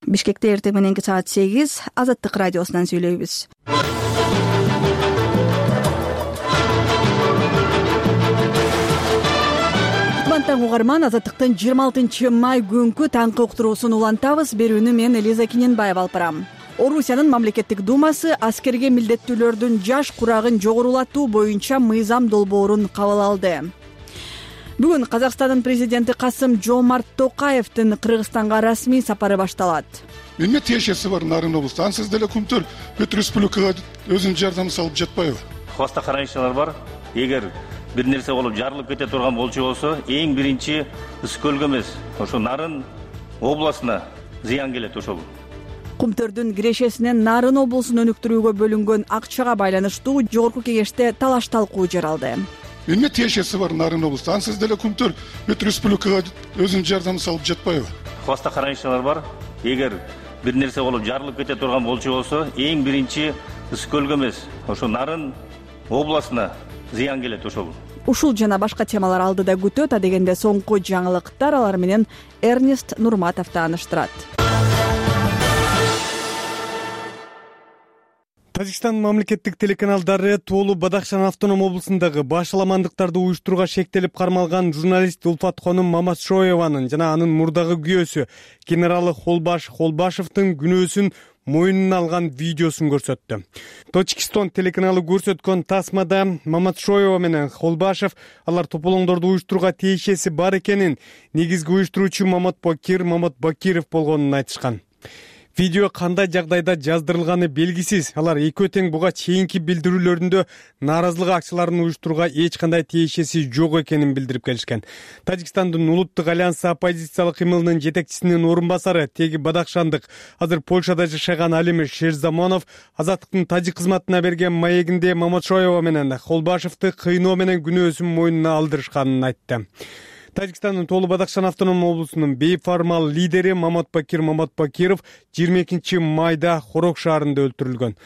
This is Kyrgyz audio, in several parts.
Бишкекте эртең мененки саат 8 Азаттык радиосунан сүйлөйбүз. Таң угарман, Азаттыктын 26 май күнкү таңкы уктуруусун улантабыз. Берүүнү мен Элиза Киненбаева алып барам. Орусиянын мамлекеттик думасы аскерге милдеттүүлөрдүн жаш курагын жогорулатуу боюнча мыйзам долбоорун кабыл алды. Бүгүн Казакстандын президенти Касым-Жомарт Токаевдин Кыргызстанга расмий сапары башталат. Эмне тиешеси бар Нарын облусту? Ансыз деле Кумтөр бүт республикага өзүнүн жардамын салып жатпайбы? Хваста карайчылар бар. Эгер бир нерсе болуп жарылып кете турган болчу болсо, эң биринчи Үскөлгө эмес, ошо Нарын областына зыян келет ошол. Кумтөрдүн кирешесинен Нарын облусун өнүктүрүүгө бөлүнгөн акчага байланыштуу жогорку кеңеште талаш-талкуу жаралды. Эмне тиешеси бар Нарын облусту? Ансыз деле Кумтөр бүт республикага өзүнүн жардамын салып жатпайбы? Хваста карайчылар бар. Эгер бир нерсе болуп жарылып кете турган болчу болсо, эң биринчи Үскөлгө эмес, ошо Нарын областына зыян келет ошол. Ушул жана башка темалар алдыда күтөт. А дегенде соңку жаңылыктар, алар менен Эрнест Нурматов тааныштырат. Тажикстан мамлекеттик телеканалдары Тоолу Бадахшан автоном облусундагы башаламандыктарды уюштурууга шектелип кармалган журналист Улфат Хонум Маматшоеванын жана анын мурдагы күйөөсү генералы Холбашевдин күнөөсүн мойнуна алган видеосун көрсөттү. Точкистон телеканалы көрсөткөн тасмада Маматшоева менен Холбашев алар тополоңдорду уюштурууга тиешеси бар экенин, негизги уюштуруучу Мамат Бакиров болгонун айтышкан. Видео кандай жагдайда жаздырылганы белгисиз. Алар экөө тең буга чейинки билдирүүлөрүндө нааразылык акцияларын уюштурууга эч кандай тиешеси жок экенин билдирип келишкен. Тажикстандын улуттук альянсы оппозициялык кымылынын жетекчисинин орун басары теги Бадахшандык азыр Польшада жашаган Алим Шерзамонов Азаттыктын тажик кызматына берген маегинде Маматшоева менен Холбашевди кыйноо менен күнөөсүн мойнуна алдырышканын айтты. Тажикстандын Тоолу Бадахшан автоном облусунун бейформал лидери Мамат Бакиров 22 майда Хорок шаарында өлтүрүлгөн.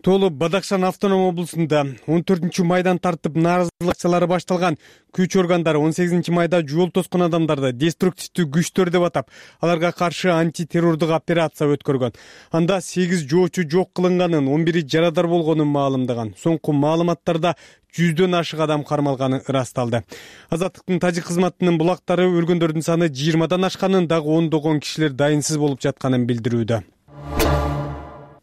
Тоолу Бадахшан автоном облусунда 14 майдан тартып нааразылык акциялары башталган. Күч органдары 18 майда жол тоскон адамдарды деструктивдүү күчтөр деп атап, аларга каршы антитеррордук операция өткөргөн. Анда 8 жоочу жок кылынганын, 11 жарадар болгонун маалымдаган. Соңку маалыматтарда 100дөн ашык адам кармалганы ырасталды. Азаттыктын тажик кызматынын булактары өлгөндөрдүн саны 20дан ашканын, дагы ондогон кишилер дайынсыз болуп жатканын билдирүүдө.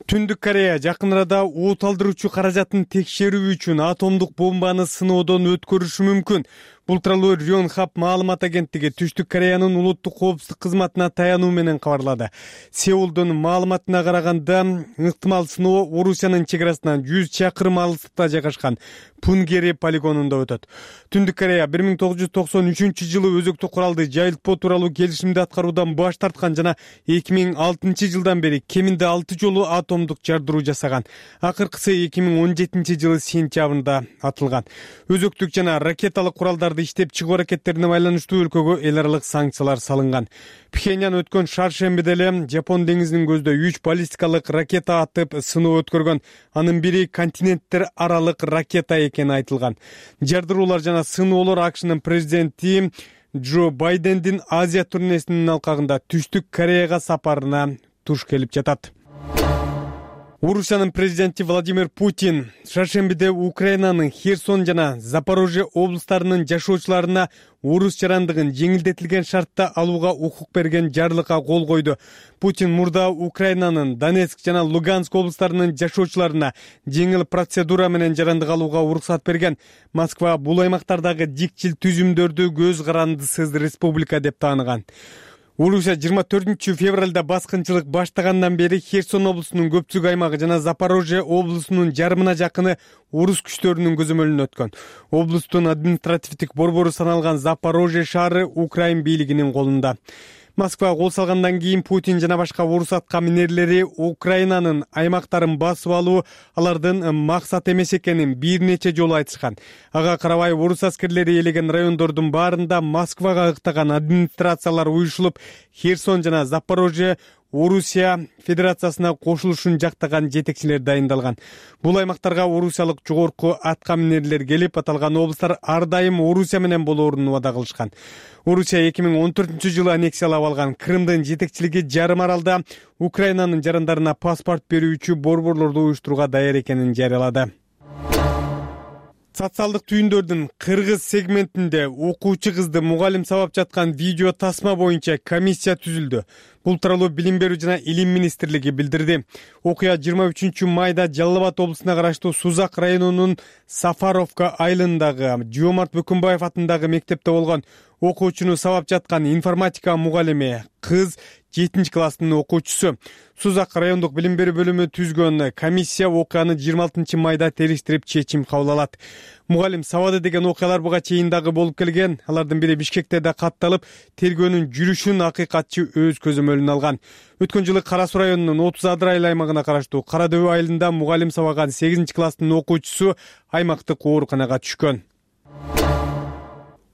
Түндүк Корея жакын арада оот алдыруучу каражатын текшерүү үчүн атомдук бомбаны сыноодон өткөрүшү мүмкүн. Бул тууралуу Рёнхап маалымат агенттиги Түштүк Кореянын улуттук коопсуздук кызматына таянуу менен кабарлады. Сеулдун маалыматына караганда, ыктымал сыноо Орусиянын чек арасынан 100 чакырым алыстыкта жайгашкан Пунгери полигонунда өтөт. Түндүк Корея 1993-жылы өзөктүк куралды жайылтпоо тууралуу келишимди аткаруудан баш тарткан жана 2006-жылдан бери кеминде 6 жолу атомдук жардыруу жасаган. Акыркысы 2017-жылы сентябрында атылган. Өзөктүк жана ракеталык куралдарды иштеп чыгуу аракеттерине байланыштуу өлкөгө эл аралык санкциялар салынган. Пхеньян өткөн шаршембиде эле Жапон деңизинин көзүндө 3 баллистикалык ракета атып сыноо өткөргөн. Анын бири континенттер аралык ракета экени айтылган. Жардыруулар жана сыноолор АКШнын президенти Джо Байдендин Азия турнесинин алкагында Түштүк Кореяга сапарына туш келип жатат. Орусиянын президенти Владимир Путин шаршембиде Украинанын Херсон жана Запорожье облустарынын жашоочуларына орус жарандыгын жеңилдетилген шартта алууга укук берген жарлыкка кол койду. Путин мурда Украинанын Донецк жана Луганск облустарынын жашоочуларына жеңил процедура менен жарандык алууга уруксат берген. Москва бул аймактардагы дикчил түзүмдөрдү көз карандысыз республика деп тааныган. Орусия 24 февралда баскынчылык баштагандан бери Херсон облусунун көпчүлүк аймагы жана Запорожье облусунун жарымына жакыны орус күчтөрүнүн көзөмөлүнө өткөн. Облустун административдик борбору саналган Запорожье шаары Украин бийлигинин колунда. Москва кол салгандан кийин Путин жана башка орус атка минерлери Украинанын аймактарын басып алуу алардын максат эмес экенин бир нече жолу айтышкан. Ага карабай орус аскерлери ээлеген райондордун баарында Москвага ыктаган администрациялар уюшулуп, Херсон жана Запорожье Орусия Федерациясына кошулушун жактаган жетекчилер дайындалган. Бул аймактарга орусиялык жогорку аткаминерлер келип, аталган облустар ар дайым Орусия менен болоорун убада кылышкан. Орусия 2014-жылы аннексиялап алган Крымдын жетекчилиги жарым аралда Украинанын жарандарына паспорт берүүчү борборлорду уюштурууга даяр экенин жарыялады. Социалдык түйүндөрдүн кыргыз сегментинде окуучу кызды мугалим сабап жаткан видео тасма боюнча комиссия түзүлдү. Бул тууралуу Билим берүү жана Илим министрлиги билдирди. Окуя 23 майда Жалал Абад облусуна караштуу Сузак районунун Сафаровка айылындагы Жоомарт Бөкөнбаев атындагы мектепте болгон. Окуучуну сабап жаткан информатика мугалими кыз 7-класстын окуучусу. Сузак райондук билим берүү бөлүмү түзгөн комиссия окуяны 26 майда териштирип чечим кабыл алат. Мугалим сабады деген окуялар буга чейин дагы болуп келген. Алардын бири Бишкекте да катталып, тергөөнүн жүрүшүн акыйкатчы өз көзөмөлүнө алган. Өткөн жылы Кара Суу районунун 30 Адыр аймагына караштуу Кара Дөбө айылында мугалим сабаган 8-класстын окуучусу аймактык ооруканага түшкөн.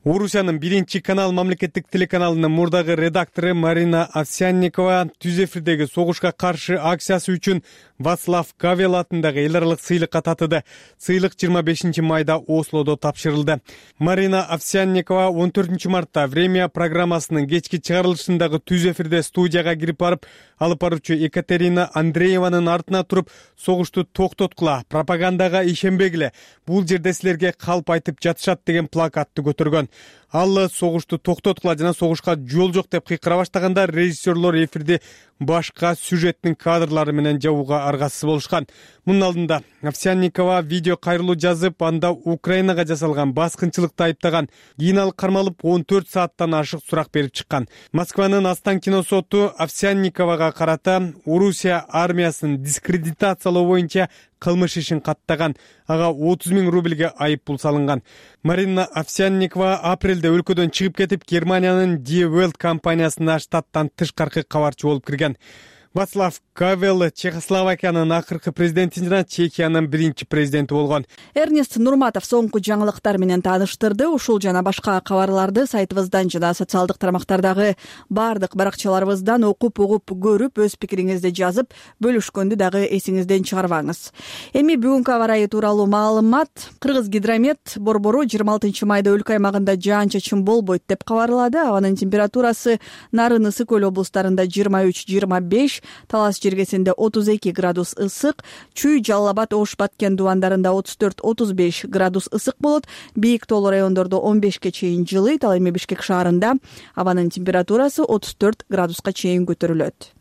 Орусиянын 1-канал мамлекеттик телеканалынын мурдагы редактору Марина Овсянникова түз эфирдеги согушка каршы акциясы үчүн Вацлав Гавел атындагы эл аралык сыйлыкка татыды. Сыйлык 25 майда Ослодо тапшырылды. Марина Овсянникова 14 мартта «Время» программасынын кечки чыгарылышындагы түз эфирде студияга кирип барып, алып баруучу Екатерина Андрееванын артына туруп, согушту токтоткула, пропагандага ишенбегиле, бул жерде силерге калп айтып жатышат деген плакатты көтөргөн. Ал согушту токтоткула жана согушка жол жок деп кыйкыра баштаганда режиссерлор эфирди башка сюжеттин кадрлары менен жабууга аргасыз болушкан. Мунун алдында Овсянникова видео кайрылуу жазып, анда Украинага жасалган баскынчылыкты айыптаган. Кийин ал кармалып 14 сааттан ашык сурак берип чыккан. Москванын Останкино соту Овсянниковага карата Орусия армиясын дискредитациялоо боюнча кылмыш ишин каттаган. Ага 30 000 рубльге айып пул салынган. Марина Овсянникова апрелде өлкөдөн чыгып кетип, Германиянын Die Welt компаниясына штаттан тышкаркы кабарчы болуп кирген. Вацлав Гавел Чехословакиянын акыркы президенти жана Чехиянын биринчи президенти болгон. Эрнест Нурматов соңку жаңылыктар менен тааныштырды. Ушул жана башка кабарларды сайтыбыздан жана социалдык тармактардагы бардык баракчаларыбыздан окуп, угуп, көрүп, өз пикириңизди жазып, бөлүшкөндү дагы эсиңизден чыгарбаңыз. Эми бүгүнкү аба ырайы тууралуу маалымат. Кыргыз гидромет борбору 26 майда өлкө аймагында жаан-чачын болбойт деп кабарлады. Абанын температурасы Нарын, Ысык көл облустарында 23-25, Талас жергесинде 32 градус ысык, Чүй, Жалал Абад, Ош, Баткен дубандарында 34-35 градус ысык болот. Бийик тоолуу райондордо 15ке чейин жылыйт. Ал эми Бишкек шаарында абанын температурасы 34 градуска чейин көтөрүлөт.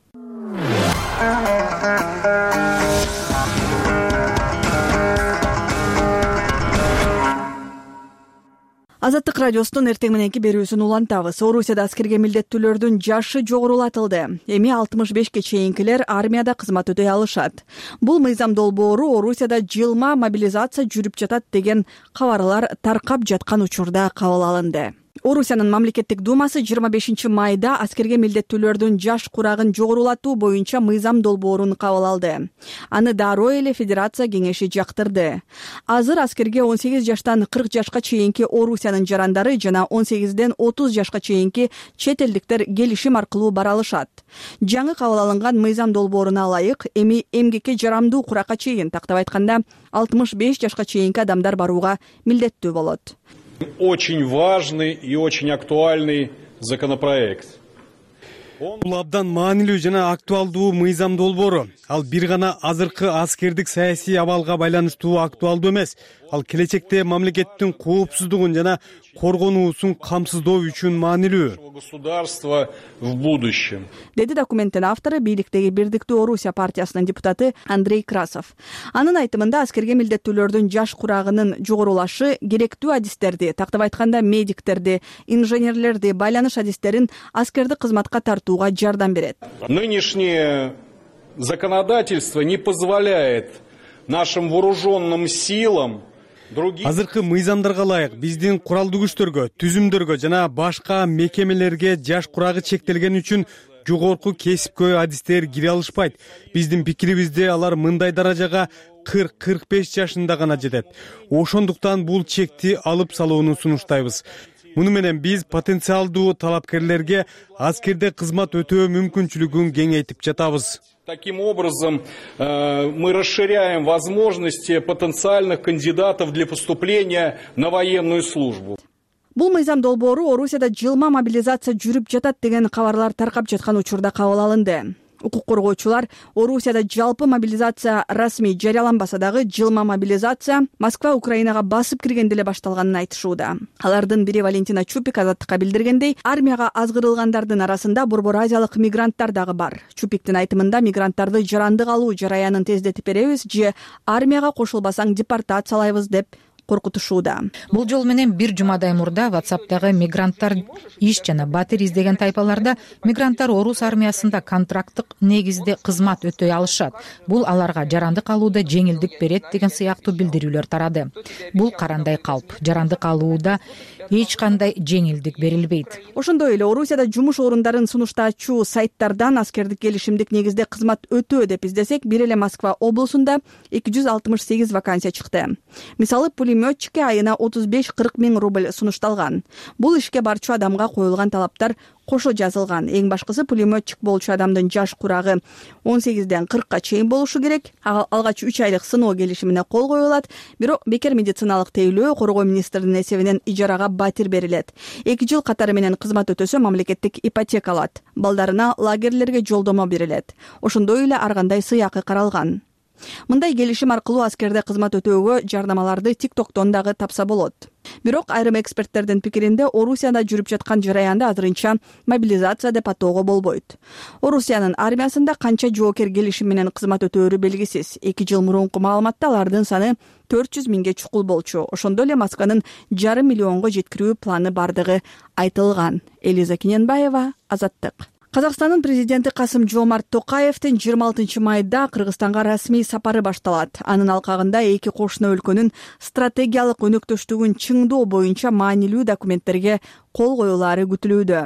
Азаттык радиосунун эртең мененки берүүсүн улантабыз. Орусияда аскерге милдеттүүлөрдүн жашы жогорулатылды. Эми 65ке чейинкилер армияда кызмат өтөй алышат. Бул мыйзам долбоору Орусияда жылма мобилизация жүрүп жатат деген кабарлар таркап жаткан учурда кабыл алынды. Орусиянын мамлекеттик думасы 25 майда аскерге милдеттүүлөрдүн жаш курагын жогорулатуу боюнча мыйзам долбоорун кабыл алды. Аны дароо эле Федерация кеңеши жактырды. Азыр аскерге 18 жаштан 40 жашка чейинки Орусиянын жарандары жана 18ден 30 жашка чейинки чет элдиктер келишим аркылуу бара алышат. Жаңы кабыл алынган мыйзам долбооруна ылайык, эми эмгекке жарамдуу куракка чейин, тактап айтканда 65 жашка чейинки адамдар барууга милдеттүү болот. Очень важный и очень актуальный законопроект. Бул абдан маанилүү жана актуалдуу мыйзам долбоору. Ал бир гана азыркы аскердик саясий абалга байланыштуу актуалдуу эмес. Ал келечекте мамлекеттин коопсуздугун жана коргонуусун камсыздоо үчүн маанилүү. Государство в будущем. Деди документтин автору бийликтеги Бирдиктүү Орусия партиясынын депутаты Андрей Красов. Анын айтымында аскерге милдеттүүлөрдүн жаш курагынын жогорулашы керектүү адистерди, тактап айтканда медиктерди, инженерлерди, байланыш адистерин аскердик кызматка тартууга жардам берет. Нынешнее законодательство не позволяет нашим вооруженным силам азыркы мыйзамдарга ылайык биздин куралдуу күчтөргө, түзүмдөргө жана башка мекемелерге жаш курагы чектелген үчүн жогорку кесипкөй адистер кире алышпайт. Биздин пикирибизде алар мындай даражага 40-45 жашында гана жетет. Ошондуктан бул чекти алып салууну сунуштайбыз. Муну менен биз потенциалдуу талапкерлерге аскерде кызмат өтөө мүмкүнчүлүгүн кеңейтип жатабыз. Таким образом, мы расширяем возможности потенциальных кандидатов для поступления на военную службу. Бул мыйзам долбоору Орусияда жылма мобилизация жүрүп жатат деген кабарлар таркап жаткан учурда кабыл алынды. Укук коргоочулар Орусияда жалпы мобилизация расмий жарыяланбаса дагы жылма мобилизация Москва Украинага басып киргенде эле башталганын айтышууда. Алардын бири Валентина Чупик Азаттыкка билдиргендей, армияга азгырылгандардын арасында Борбор Азиялык мигранттар дагы бар. Чупиктин айтымында мигранттарды жарандык алуу жараянын тездетип беребиз же армияга кошулбасаң депортациялайбыз деп коркутушууда. Бул жол менен бир жумадай мурда WhatsApp'тагы мигранттар иш жана батир издеген тайпаларда мигранттар орус армиясында контракттык негизде кызмат өтөй алышат. Бул аларга жарандык алууда жеңилдик берет деген сыяктуу билдирүүлөр тарады. Бул карандай калп. Жарандык алууда эч кандай жеңилдик берилбейт. Ошондой эле Орусияда жумуш орундарын сунуштаачу сайттардан аскердик келишимдик негизде кызмат өтөө деп издесек, бир эле Москва облусунда 268 вакансия чыкты. Мисалы, пулеметчикке айына 35-40 миң рубль сунушталган. Бул ишке барчу адамга коюлган талаптар кошо жазылган. Эң башкысы, пулеметчик болчу адамдын жаш курагы 18ден 40ка чейин болушу керек. Алгач 3 айлык сыноо келишимине кол коюлат. Бирок бекер медициналык тейлөө коргоо министринин эсебинен ижарага батир берилет. 2 жыл катары менен кызмат өтөсө мамлекеттик ипотека алат. Балдарына лагерлерге жолдомо берилет. Ошондой эле ар кандай сыйакы каралган. Мындай келишим аркылуу аскерде кызмат өтөөгө жардамаларды TikToktон дагы тапса болот. Бирок айрым эксперттердин пикиринде Орусияда жүрүп жаткан жараянды азырынча мобилизация деп атоого болбойт. Орусиянын армиясында канча жоокер келишим менен кызмат өтөөрү белгисиз. 2 жыл мурунку маалыматта алардын саны 400 миңге чукул болчу. Ошондой эле Москванын 5,5 миллионго жеткирүү планы бардыгы айтылган. Элиза Киненбаева, Азаттык. Казакстандын президенти Касым-Жомарт Токаевдин 26 майда Кыргызстанга расмий сапары башталат. Анын алкагында эки кошуна өлкөнүн стратегиялык өнөктөштүгүн чыңдоо боюнча маанилүү документтерге кол коюлаары күтүлүүдө.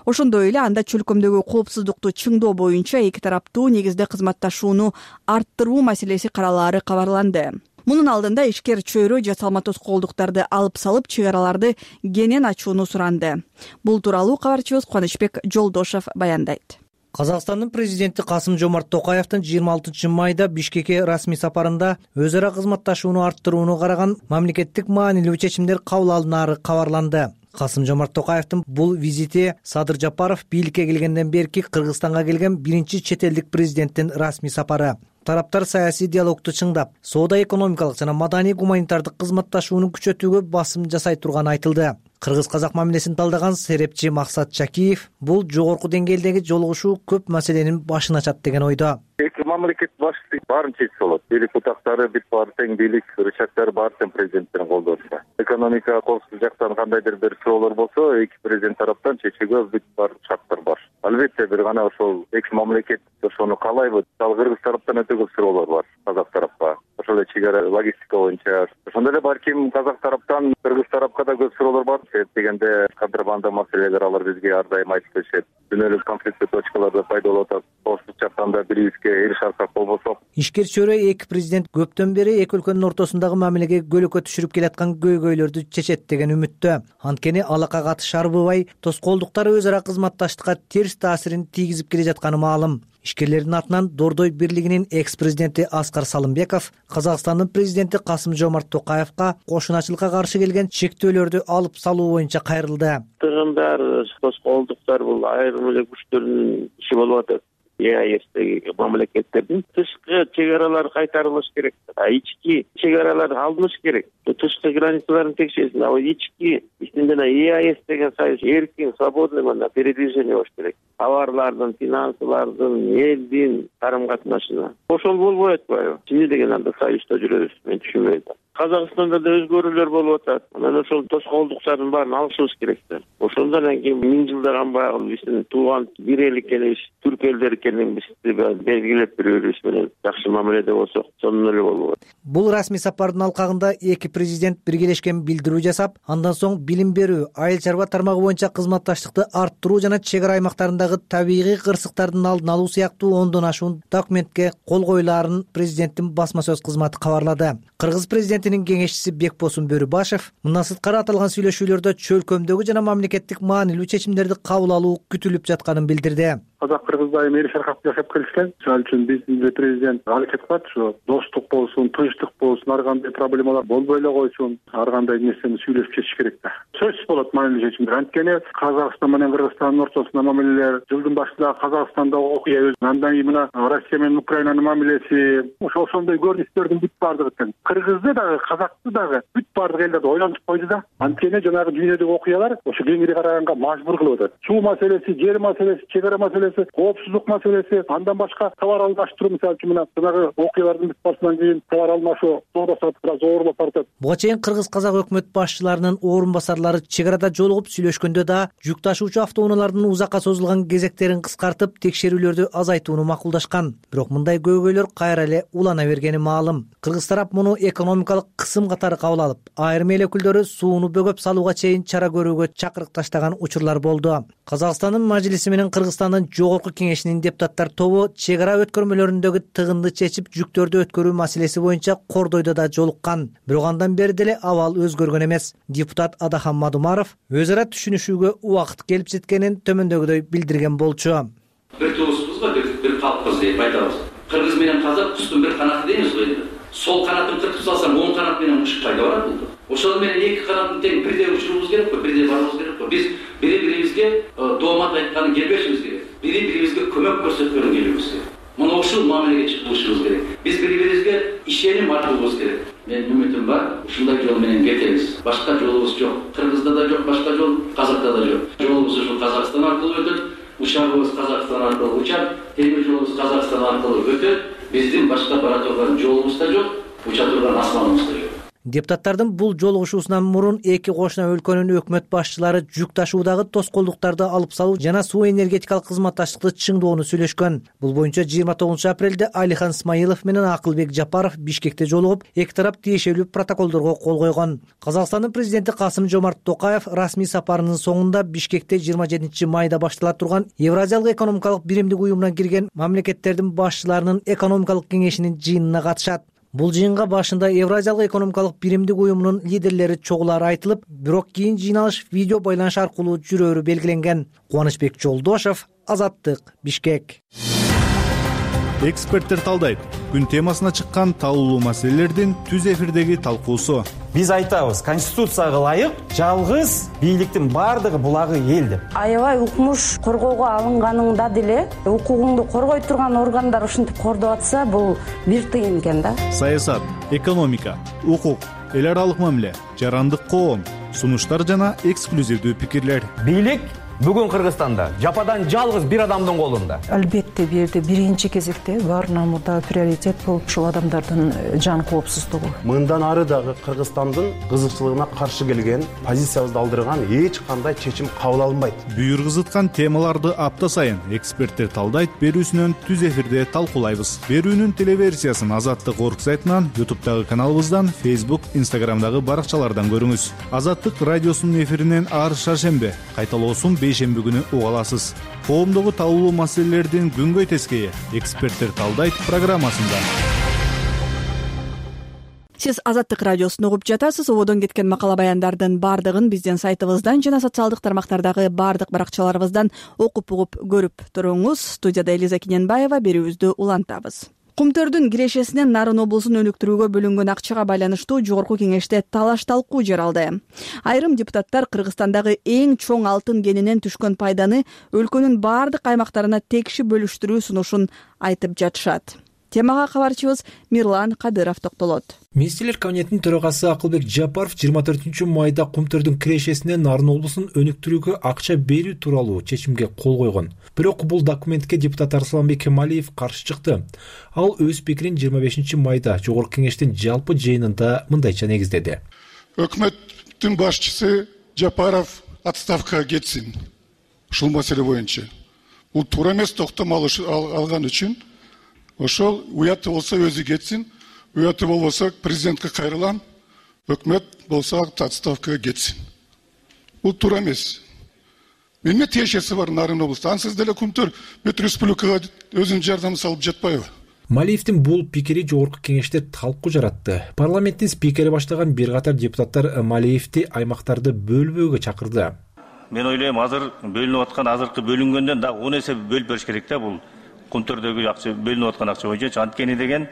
Ошондой эле анда чөлкөмдөгү коопсуздукту чыңдоо боюнча эки тараптуу негизде кызматташууну арттыруу маселеси каралаары кабарланды. Мунун алдында ишкер чөйрө жасалма тоскоолдуктарды алып салып, чек араларды кенен ачууну суранды. Бул тууралуу кабарчыбыз Кубанычбек Жолдошев баяндайт. Казакстандын президенти Касым-Жомарт Токаевдин 26 майда Бишкекке расмий сапарында өз ара кызматташууну арттырууну караган мамлекеттик маанилүү чечимдер кабыл алынаары кабарланды. Касым-Жомарт Токаевдин бул визити Садыр Жапаров бийликке келгенден берки Кыргызстанга келген биринчи чет элдик президенттин расмий сапары. Тараптар саясий диалогду чыңдап, соода-экономикалык жана маданий-гуманитардык кызматташууну күчөтүүгө басым жасай турганы айтылды. Кыргыз-казак мамилесин талдаган серепчи Максат Чакиев бул жогорку деңгээлдеги жолугушуу көп маселенин башын ачат деген ойдо. Эки мамлекет башчысы баарын чечсе болот. Бийлик бутактары бүт баары тең, бийлик рычагдары баары тең президенттердин колдорунда. Экономика коопсуздук жактан кандайдыр бир суроолор болсо, эки президент тараптан чечүүгө бүт баары шарттар бар. Албетте бир гана ошол эки мамлекет ошону каалайбы. Ал Кыргыз тараптан өтө көп суроолор бар казак тарапка. Ошол эле чек ара логистика боюнча. Ошондой эле балким казак тараптан Кыргыз тарапка да көп суроолор бар. Дегенде контрабанда маселелер алар бизге ар дайым айтып келишет. Дүйнөлүк конфликттүү точкаларда пайда болуп атат. Коопсуздук жактан да бирибизге эрише алсак болбосок. Ишкер чөйрө эки президент көптөн бери эки өлкөнүн ортосундагы мамилеге көлөкө түшүрүп келаткан көйгөйлөрдү чечет деген үмүттө. Анткени алака катыш арбыбай, тоскоолдуктары өз ара кызматташтыкка терс таасирин тийгизип келе жатканы маалым. Ишкерлердин атынан Дордой бирлигинин экс-президенти Аскар Салымбеков Казакстандын президенти Касым-Жомарт Токаевга кошуначылыкка каршы келген чектөөлөрдү алып салуу боюнча кайрылды. Тыгындар, тоскоолдуктар бул айрым эле күчтөрдүн иши болуп атат. ЕАЭСтеги мамлекеттердин тышкы чек аралары кайтарылыш керек. Ички чек аралар алыныш керек. Тышкы границаларын текшерсин. Ички ичинде ЕАЭС деген союз эркин, свободный передвижение болуш керек. Товарлардын, финансылардын, элдин карым-катнашына. Ошол болбой атпайбы? Эмне деген анда союзда жүрөбүз? Мен түшүнбөйм. Казакстанда да өзгөрүүлөр болуп атат. Анан ошол тоскоолдуктардын баарын алышыбыз керек. Ошондон кийин 1000 жылдан баягы биздин тууган бир эл экенибиз, түрк элдери экенибизди белгилеп берүүбүз менен жакшы мамиледе болсок, сонун эле болот. Бул расмий сапардын алкагында эки президент биргелешкен билдирүү жасап, андан соң билим берүү, айыл чарба тармагы боюнча кызматташтыкты арттыруу жана чек ара аймактарындагы табигый кырсыктардын алдын алуу сыяктуу 10дон ашуун документке кол коюлаарын президенттин басма сөз кызматы кабарлады. Кыргыз президенти президентинин кеңешчиси Бекбосун Бөрүбашев мындан сырткары аталган сүйлөшүүлөрдө чөлкөмдөгү жана мамлекеттик маанилүү чечимдерди кабыл алуу күтүлүп жатканын билдирди. Казак кыргыз айым эл шаркап жашап келишкен. Ал үчүн биздин президент аракет кылат, ушу достук болсун, тынчтык болсун, ар кандай проблемалар болбой эле койсун, ар кандай нерсени сүйлөшүп чечиш керек да. Сөзсүз болот маанилүү чечимдер. Анткени Казакстан менен Кыргызстандын ортосунда мамилелер, жылдын башында Казакстанда окуя өз, андан кийин мына Россия менен Украинанын мамилеси, ошондой көрүнүштөрдүн бүт баардыгы тең. Кыргызды дагы, казакты дагы бүт баардык элдерди ойлантып койду да. Анткени жанагы дүйнөдөгү окуялар ошо кеңири караганга мажбур кылып атат. Суу маселеси, жер маселеси, чек ара маселеси, коопсуздук маселеси, андан башка товар алмаштыруу, мисалы үчүн мына жанагы окуялардын бүт барысынан кийин товар алмашуу соода саттык бир аз оорлоп баратат. Буга чейин кыргыз-казак өкмөт башчыларынын орун басарлары чек арада жолугуп сүйлөшкөндө да жүк ташуучу автоунаалардын узакка созулган кезектерин кыскартып, текшерүүлөрдү азайтууну макулдашкан. Бирок мындай көйгөйлөр кайра эле улана бергени маалым. Кыргыз тарап муну экономикалык кысым катары кабыл алып, айрым эл өкүлдөрү сууну бөгөп салууга чейин чара көрүүгө чакырык таштаган учурлар болду. Казакстандын мажлиси менен Кыргызстандын жогорку кеңешинин депутаттар тобу чек ара өткөрмөлөрүндөгү тыгынды чечип, жүктөрдү өткөрүү маселеси боюнча кордойдо да жолуккан. Бирок андан бери деле абал өзгөргөн эмес. Депутат Адахан Мадумаров өз ара түшүнүшүүгө убакыт келип жеткенин төмөндөгүдөй билдирген болчу. Бир туусубуз бар, бир калкпыз деп айтабыз. Кыргыз менен казак кустун бир канаты дейбиз го энди. Сол канатын кыркып салсам, оң канат менен учуп кайда барат бул? Ошол менен эки канатын тең бирдей учурубуз керек го, бирдей барыбыз керек го. Биз бири-бирибизге доомат айтканын келбешибиз керек. Бири-бирибизге көмөк көрсөткөнүн келебиз керек. Мына ушул мамилеге чыгышыбыз керек. Биз бири-бирибизге ишеним артуубуз керек. Мен үмүтүм бар, ушундай жол менен кетебиз. Башка жолубуз жок. Кыргызда да жок, башка жол, Казакта да жок. Жолубуз ушул Казакстан аркылуу өтөт. Учагыбыз Казакстан аркылуу учат, темир жолубуз Казакстан аркылуу өтөт. Биздин башка бара турган жолубуз да жок, уча турган асманыбыз да жок. Депутаттардын бул жолугушуусунан мурун эки кошуна өлкөнүн өкмөт башчылары жүк ташуудагы тоскоолдуктарды алып салуу жана суу энергетикалык кызматташтыкты чыңдоону сүйлөшкөн. Бул боюнча 29 апрелде Алихан Смаилов менен Акылбек Жапаров Бишкекте жолугуп, эки тарап тиешелүү протоколдорго кол койгон. Казакстандын президенти Касым-Жомарт Токаев расмий сапарынын соңунда Бишкекте 27 майда баштала турган Евразиялык экономикалык биримдик уюмуна кирген мамлекеттердин башчыларынын экономикалык кеңешинин жыйынына катышат. Бул жыйынга башында Евразиялык экономикалык биримдик уюмунун лидерлери чогулары айтылып, бирок кийин жыйналыш видео байланыш аркылуу жүрөөрү белгиленген. Кубанычбек Жолдошев, Азаттык, Бишкек. Эксперттер талдайт. Күн темасына чыккан талкуулуу маселелердин түз эфирдеги талкуусу. Биз айтабыз, конституцияга ылайык жалгыз бийликтин баардыгы булагы эл деп. Аябай укмуш коргоого алынганыңда деле укугуңду коргой турган органдар ушинтип кордоп атса, бул бир тыйын экен да. Саясат, экономика, укук, эл аралык мамиле, жарандык коом, сунуштар жана эксклюзивдүү пикирлер. Бийлик бүгүн Кыргызстанда жападан жалгыз бир адамдын колунда. Албетте бул жерде биринчи кезекте баарынан мурда приоритет болуп ушул адамдардын жан коопсуздугу. Мындан ары дагы Кыргызстандын кызыкчылыгына каршы келген, позициябызды алдырган эч кандай чечим кабыл алынбайт. Бүйүр кызыткан темаларды апта сайын эксперттер талдайт берүүсүнөн түз эфирде талкуулайбыз. Берүүнүн телеверсиясын Азаттык орг сайтынан, YouTube'дагы каналыбыздан, Facebook, Instagram'дагы баракчалардан көрүңүз. Азаттык радиосунун эфиринен ар шаршембе, кайталоосун бейшемби күнү уга аласыз. Коомдогу талкуулуу маселелердин күнгөй тескейи эксперттер талдайт программасында. Сиз Азаттык радиосун угуп жатасыз. Ободон кеткен макала баяндардын баардыгын биздин сайтыбыздан жана социалдык тармактардагы баардык баракчаларыбыздан окуп угуп көрүп туруңуз. Студияда Элиза Киненбаева, берүүбүздү улантабыз. Кумтөрдүн кирешесинен Нарын облусун өнүктүрүүгө бөлүнгөн акчага байланыштуу жогорку кеңеште талаш талкуу жаралды. Айрым депутаттар Кыргызстандагы эң чоң алтын кенинен түшкөн пайданы өлкөнүн баардык аймактарына текши бөлүштүрүү сунушун айтып жатышат. Темага кабарчыбыз Мирлан Кадыров токтолот. Министрлер кабинетинин төрагасы Акылбек Жапаров 24 майда Кумтөрдүн кирешесинен Нарын облусун өнүктүрүүгө акча берүү тууралуу чечимге кол койгон. Бирок бул документке депутат Арсланбек Кемалиев каршы чыкты. Ал өз пикирин 25 майда жогорку кеңештин жалпы жыйынында мындайча негиздеди. Өкмөттүн башчысы Жапаров отставкага кетсин. Ушул маселе боюнча. Бул туура эмес, токтом алган үчүн ошол уяты болсо өзү кетсин, уяты болбосо президентке кайрылам, өкмөт болсо отставкага кетсин. Бул туура эмес. Эмне тиешеси бар Нарын облусунда? Ансыз деле Кумтөр бүт республикага өзүнүн жардамын салып жатпайбы? Малиевдин бул пикири жогорку кеңеште талкуу жаратты. Парламенттин спикери баштаган бир катар депутаттар Малиевди аймактарды бөлбөөгө чакырды. Мен ойлойм, азыр бөлүнүп аткан азыркы бөлүнгөндөн дагы 10 эсе бөлүп бериш керек да, бул Кумтөрдөгү акча бөлүнүп аткан акча боюнча. Анткени деген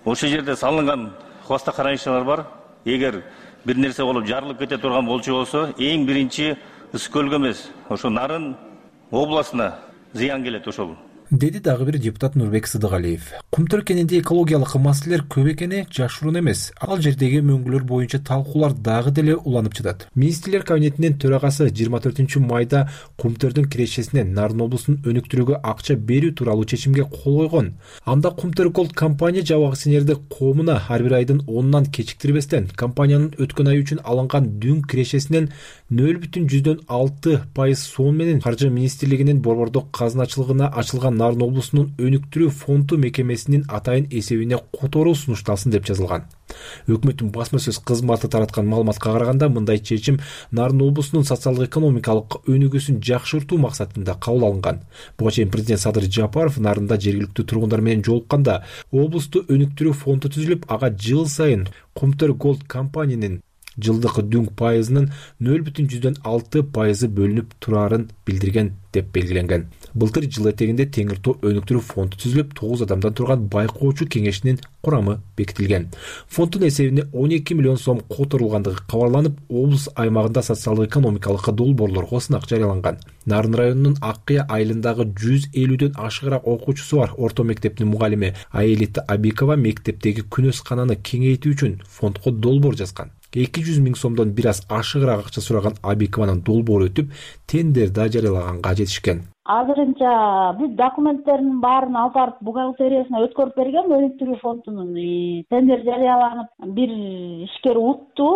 ошол жерде салынган хвостохранилищалар бар. Эгер бир нерсе болуп жарылып кете турган болчу болсо, эң биринчи Ысык көлгө эмес, ошо Нарын областына зыян келет ошол. Деди дагы бир депутат Нурбек Сыдыгалиев. Кумтөр кенинде экологиялык маселелер көп экени жашыруун эмес. Ал жердеги мөңгүлөр боюнча талкуулар дагы деле уланып жатат. Министрлер кабинетинин төрагасы 24 майда Кумтөрдүн кирешесинен Нарын облусун өнүктүрүүгө акча берүү тууралуу чечимге кол койгон. Анда Кумтөр Голд компания жабык акционердик коомуна ар бир айдын 10-нан кечиктирбестен компаниянын өткөн ай үчүн алынган дүң кирешесинен 0,6% соом менен Каржы министрлигинин борбордук казыначылыгына ачылган Нарын облусунун өнүктүрүү фонду мекемесинин атайын эсебине которуу сунушталсын деп жазылган. Өкмөттүн басма сөз кызматы тараткан маалыматка караганда, мындай чечим Нарын облусунун социалдык-экономикалык өнүгүүсүн жакшыртуу максатында кабыл алынган. Буга чейин президент Садыр Жапаров Нарында жергиликтүү тургундар менен жолукканда, облусту өнүктүрүү фонду түзүлүп, ага жыл сайын Кумтөр Голд компаниянын жылдык дүң пайызынын 0,6% бөлүнүп турарын билдирген деп белгиленген. Былтыр жыл этегинде Теңир Тоо өнүктүрүү фонду түзүлүп, 9 адамдан турган байкоочу кеңешинин курамы бекитилген. Фонддун эсебине 12 миллион сом которулгандыгы кабарланып, облус аймагында социалдык-экономикалык долбоорлорго сынак жарыяланган. Нарын районунун Аккыя айылындагы 150дөн ашыгыраак окуучусу бар орто мектептин мугалими Аэлита Абикова мектептеги күнөскананы кеңейтүү үчүн фондко долбоор жазган. 200 миң сомдон бир аз ашыгыраак акча сураган Абикованын долбоору өтүп, тендер да жарыялаганга жетишкен. Азырынча бүт документтеринин баарын алып барып бухгалтериясына өткөрүп берген. Өнүктүрүү фондунун тендер жарыяланып, бир ишкер утту,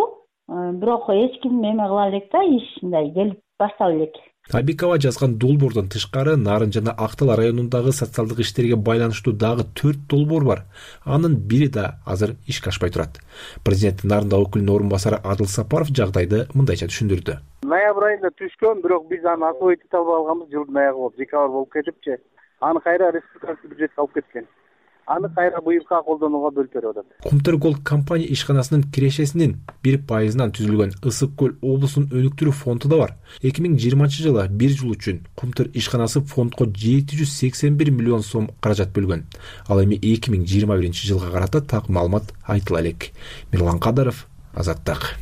бирок эч ким эме кыла элек да, иш мындай келип баштала элек. Абикова жазган долбоордон тышкары Нарын жана Актал районундагы социалдык иштерге байланыштуу дагы 4 долбоор бар. Анын бири да азыр ишке ашпай турат. Президент Нарында өкүлүнүн орун басары Адыл Сапаров жагдайды мындайча түшүндүрдү. Ноябрь айында түшкөн, бирок биз аны освоить эте албай калганбыз. Жылдын аягы болуп, декабрь болуп кетипчи. Аны кайра республикалык бюджетке алып кеткен. Аны кайра быйылка колдонууга бөлүп берип атат. Кумтөр Голд компания ишканасынын кирешесинин 1%-нан түзүлгөн Ысык көл облусунун өнүктүрүү фонду да бар. 2020 жылы бир жыл үчүн Кумтөр ишканасы фондко 781 миллион сом каражат бөлгөн. Ал эми 2021 жылга карата так маалымат айтыла элек. Мирлан Кадаров, Азаттык.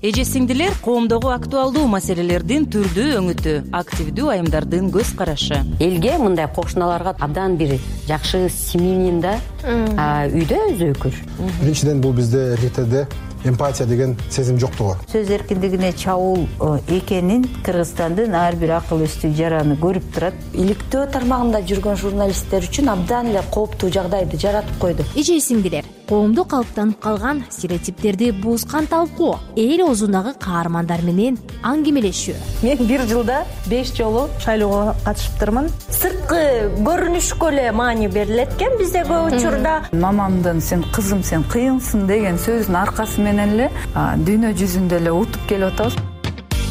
Эже сиңдилер, коомдогу актуалдуу маселелердин түрдүү өңүтү, активдүү айымдардын көз карашы. Элге мындай кошуналарга абдан бир жакшы семьянин да үйдө өзөкүр. Биринчиден бул бизде эркектерде эмпатия деген сезим жоктугу. Сөз эркиндигине чабуул экенин Кыргызстандын ар бир акыл эстүү жараны көрүп турат. Иликтөө тармагында жүргөн журналисттер үчүн абдан эле кооптуу жагдайды жаратып койду. Эже сиңдилер, коомдо калыптанып калган стереотиптерди буузган талкуу, эл оозундагы каармандар менен аңгемелешүү. Мен бир жылда 5 жолу шайлоого катышыптырмын. Сырткы көрүнүшкө эле маани берилет экен бизде көп учурда. Мамамдын "сен кызым, сен кыйынсың" деген сөзүнүн аркасы менен эле дүйнө жүзүндө эле утуп келип атабыз.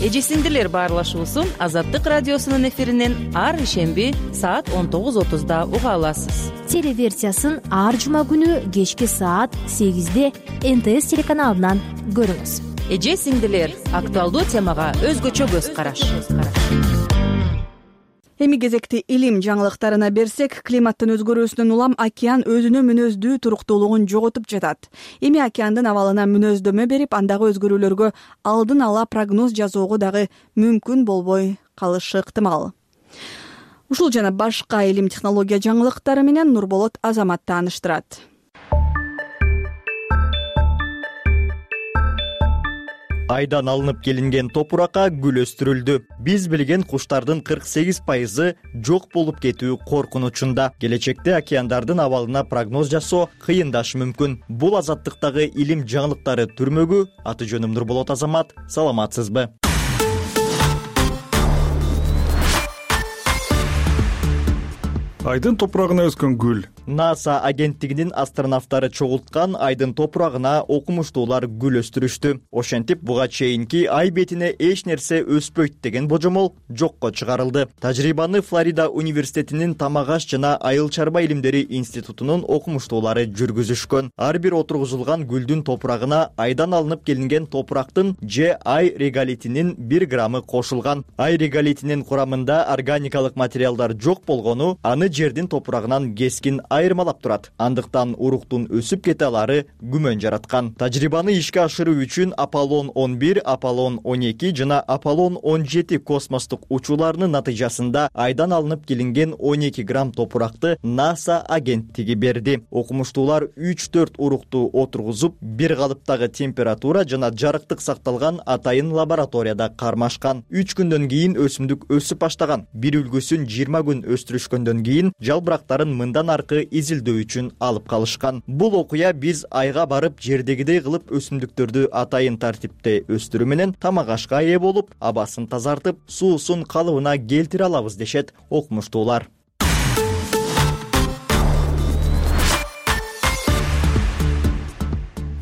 Эже сиңдилер баарлашуусун Азаттык радиосунун эфиринен ар ишемби саат 19:30 уга аласыз. Телеверсиясын ар жума күнү кечки саат 8-де НТС телеканалынан көрүңүз. Эже сиңдилер, актуалдуу темага өзгөчө көз караш. Эми кезекти илим жаңылыктарына берсек, климаттын өзгөрүүсүнөн улам океан өзүнүн мүнөздүү туруктуулугун жоготуп жатат. Эми океандын абалына мүнөздөмө берип, андагы өзгөрүүлөргө алдын ала прогноз жасоого дагы мүмкүн болбой калышы ыктымал. Ушул жана башка илим технология жаңылыктары менен Нурболот Азамат тааныштырат. Айдан алынып келинген топуракка гүл өстүрүлдү. Биз билген куштардын 48% жок болуп кетүү коркунучунда. Келечекте океандардын абалына прогноз жасоо кыйындашы мүмкүн. Бул Азаттыктагы илим жаңылыктары түрмөгү. Аты жөнүм Нурболот Азамат. Саламатсызбы? Айдын топурагына өскөн гүл NASA агенттигинин астронавттары чогулткан айдын топурагына окумуштуулар гүл өстүрүштү. Ошентип буга чейинки ай бетине эч нерсе өспөйт деген божомол жокко чыгарылды. Тажрыйбаны Флорида университетинин тамак аш жана айыл чарба илимдери институтунун окумуштуулары жүргүзүшкөн. Ар бир отургузулган гүлдүн топурагына айдан алынып келинген топурактын же ай реголитинин 1 граммы кошулган. Ай реголитинин курамында органикалык материалдар жок болгону аны жердин топурагынан кескин айырмалап турат. Андыктан уруктун өсүп кете алары күмөн жараткан. Тажрыйбаны ишке ашыруу үчүн Аполлон 11, Аполлон 12 жана Аполлон 17 космостук учууларынын натыйжасында айдан алынып келинген 12 грамм топуракты NASA агенттиги берди. Окумуштуулар 3-4 урукту отургузуп, бир калыптагы температура жана жарыктык сакталган атайын лабораторияда кармашкан. 3 күндөн кийин өсүмдүк өсүп баштаган. Бир үлгүсүн 20 күн өстүрүшкөндөн кийин жалбырактарын мындан аркы изилдөө үчүн алып калышкан. Бул окуя биз айга барып жердегидей кылып өсүмдүктөрдү атайын тартипте өстүрүү менен тамак ашка ээ болуп, абасын тазартып, суусун калыбына келтире алабыз дешет окумуштуулар.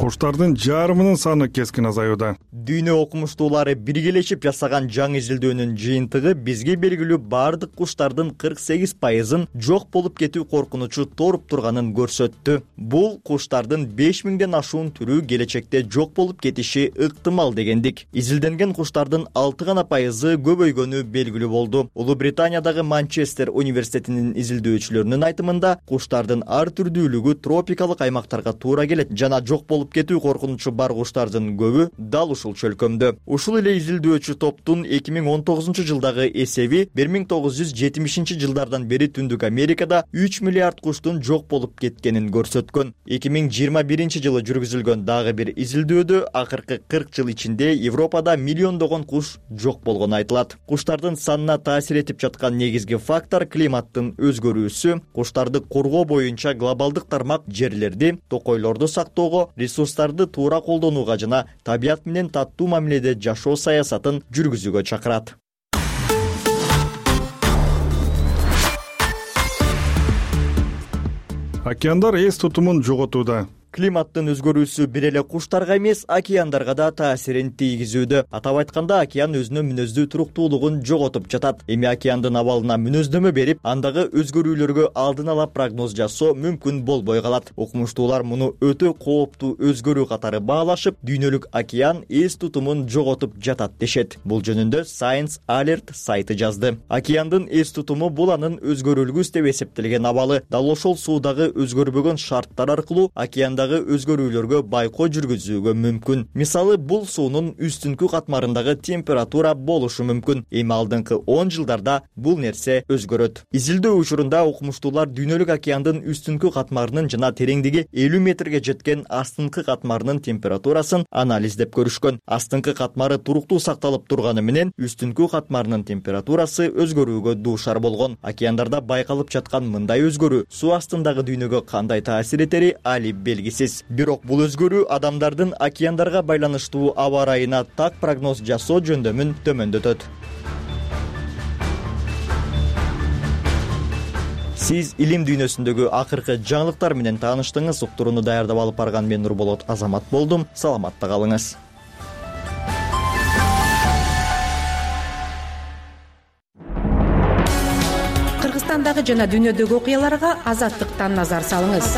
Куштардын жарымынын саны кескин азаюуда. Дүйнө окумуштуулары биргелешип жасаган жаңы изилдөөнүн жыйынтыгы бизге белгилүү бардык куштардын 48%ын жок болуп кетүү коркунучу торуп турганын көрсөттү. Бул куштардын 5000ден ашуун түрү келечекте жок болуп кетиши ыктымал дегендик. Изилденген куштардын 6% көбөйгөнү белгилүү болду. Улуу Британиядагы Манчестер университетинин изилдөөчүлөрүнүн айтымында куштардын ар түрдүүлүгү тропикалык аймактарга туура келет жана жок болуп кетүү коркунучу бар куштардын көбү дал ушул чөлкөмдө. Ушул эле изилдөөчү топтун 2019 жылдагы эсеби 1970 жылдардан бери Түндүк Америкада 3 миллиард куштун жок болуп кеткенин көрсөткөн. 2021 жылы жүргүзүлгөн дагы бир изилдөөдө акыркы 40 жыл ичинде Европада миллиондогон куш жок болгону айтылат. Куштардын санына таасир этип жаткан негизги фактор климаттын өзгөрүүсү, куштарды коргоо боюнча глобалдык тармак жерлерди, токойлорду сактоого, ресурстарды туура колдонууга жана табият менен таттуу мамиледе жашоо саясатын жүргүзүүгө чакырат. Океандар эс тутумун жоготууда. Климаттын өзгөрүүсү бир эле куштарга эмес, океандарга да таасирин тийгизүүдө. Атап айтканда, океан өзүнүн мүнөздүү туруктуулугун жоготуп жатат. Эми океандын абалына мүнөздөмө берип, андагы өзгөрүүлөргө алдын ала прогноз жасоо мүмкүн болбой калат. Окумуштуулар муну өтө кооптуу өзгөрүү катары баалашып, дүйнөлүк океан эс тутумун жоготуп жатат дешет. Бул жөнүндө Science Alert сайты жазды. Океандын эс тутуму бул анын өзгөрүлгүс деп эсептелген абалы. Дал ошол суудагы өзгөрбөгөн шарттар аркылуу океандагы өзгөрүүлөргө байкоо жүргүзүүгө мүмкүн. Мисалы, бул суунун үстүнкү катмарындагы температура болушу мүмкүн. Эми алдыңкы 10 жылдарда бул нерсе өзгөрөт. Изилдөө учурунда окумуштуулар дүйнөлүк океандын үстүнкү катмарынын жана тереңдиги 50 метрге жеткен астыңкы катмарынын температурасын анализдеп көрүшкөн. Астыңкы катмары туруктуу сакталып турганы менен үстүнкү катмарынын температурасы өзгөрүүгө дуушар болгон. Океандарда байкалып жаткан мындай өзгөрүү суу астындагы дүйнөгө кандай таасир этери али белгисиз. Бирок бул өзгөрүү адамдардын океандарга байланыштуу аба ырайына так прогноз жасоо жөндөмүн төмөндөтөт. Сиз илим дүйнөсүндөгү акыркы жаңылыктар менен тааныштыңыз. Уктурууну даярдап алып барган мен Нурболот Азамат болдум. Саламатта калыңыз. Кыргызстандагы жана дүйнөдөгү окуяларга Азаттыктан назар салыңыз.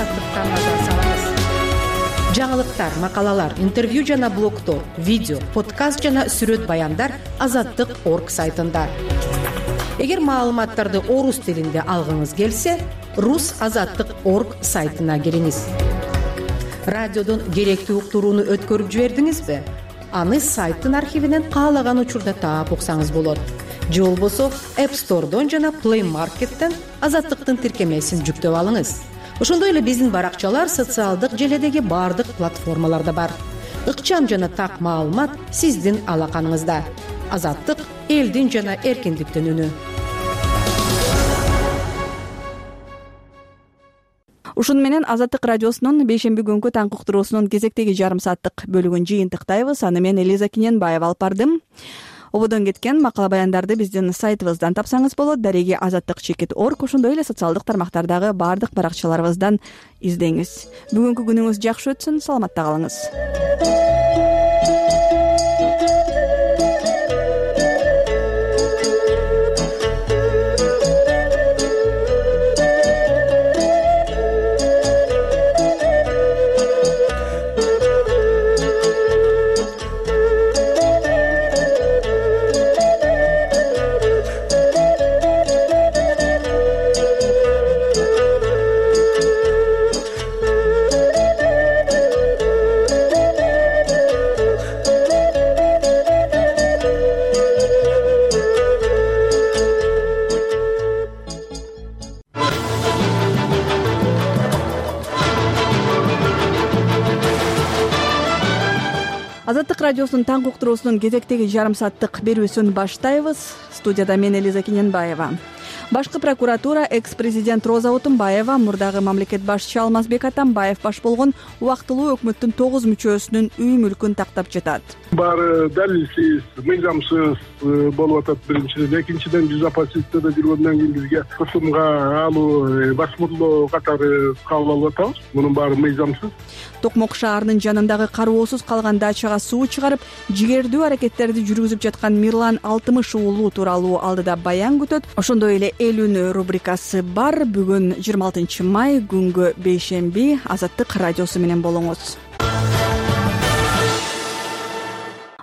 Жаңылыктар, макалалар, интервью жана блогдор, видео, подкаст жана сүрөт баяндар Азаттык.орг сайтында. Эгер маалыматтарды орус тилинде алгыңыз келсе, rusazаттык.org сайтына кириңиз. Радиодон керектүү уктурууну өткөрүп жибердиңизби? Аны сайттын архивинен каалаган учурда таап уксаңыз болот. Же болбосо App Store'дон жана Play Market'тен Азаттыктын тиркемесин жүктөп алыңыз. Ошондой эле биздин баракчалар социалдык желедеги бардык платформаларда бар. Ыкчам жана так маалымат сиздин алаканыңызда. Азаттык — элдин жана эркиндиктин үнү. Ушун менен Азаттык радиосунун бейшемби күнкү таңкы уктуруусунун кезектеги жарым сааттык бөлүгүн жыйынтыктайбыз. Аны мен Элиза Киненбаева алып бардым. ободон кеткен макала баяндарды биздин сайтыбыздан тапсаңыз болот. Дареги Азаттык.org, ошондой эле социалдык тармактардагы баардык баракчаларыбыздан издеңиз. Бүгүнкү күнүңүз жакшы өтсүн, саламатта калыңыз. Азаттык радиосунун таңкы уктуруусунун кезектеги жарым сааттык берүүсүн баштайбыз. Студияда мен Элиза Кененбаева. Башкы прокуратура экс-президент Роза Отунбаева, мурдагы мамлекет башчы Алмазбек Атамбаев баш болгон убактылуу өкмөттүн 9 мүчөсүнүн үй мүлкүн тактап жатат. Баары далилсиз, мыйзамсыз болуп атат биринчиден. Экинчиден жүз оппозицияда жүргөндөн кийин бизге кысымга алуу, басмырлоо катары кабыл алып атабыз. Мунун баары мыйзамсыз. Токмок шаарынын жанындагы кароосуз калган дачага суу чыгарып, жигердүү аракеттерди жүргүзүп жаткан Мирлан Алтымыш уулу тууралуу алдыда баян күтөт. Ошондой эле эл үнү рубрикасы бар. Бүгүн 26 май, күнгө бейшемби. Азаттык радиосу менен болуңуз.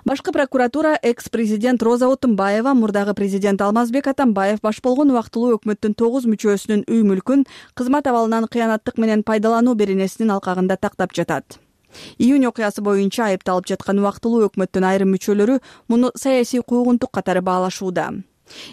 Башкы прокуратура экс-президент Роза Отунбаева, мурдагы президент Алмазбек Атамбаев баш болгон убактылуу өкмөттүн 9 мүчөсүнүн үй мүлкүн кызмат абалынан кыянаттык менен пайдалануу беренесинин алкагында тактап жатат. Июнь окуясы боюнча айыпталып жаткан убактылуу өкмөттүн айрым мүчөлөрү муну саясий куугунтук катары баалашууда.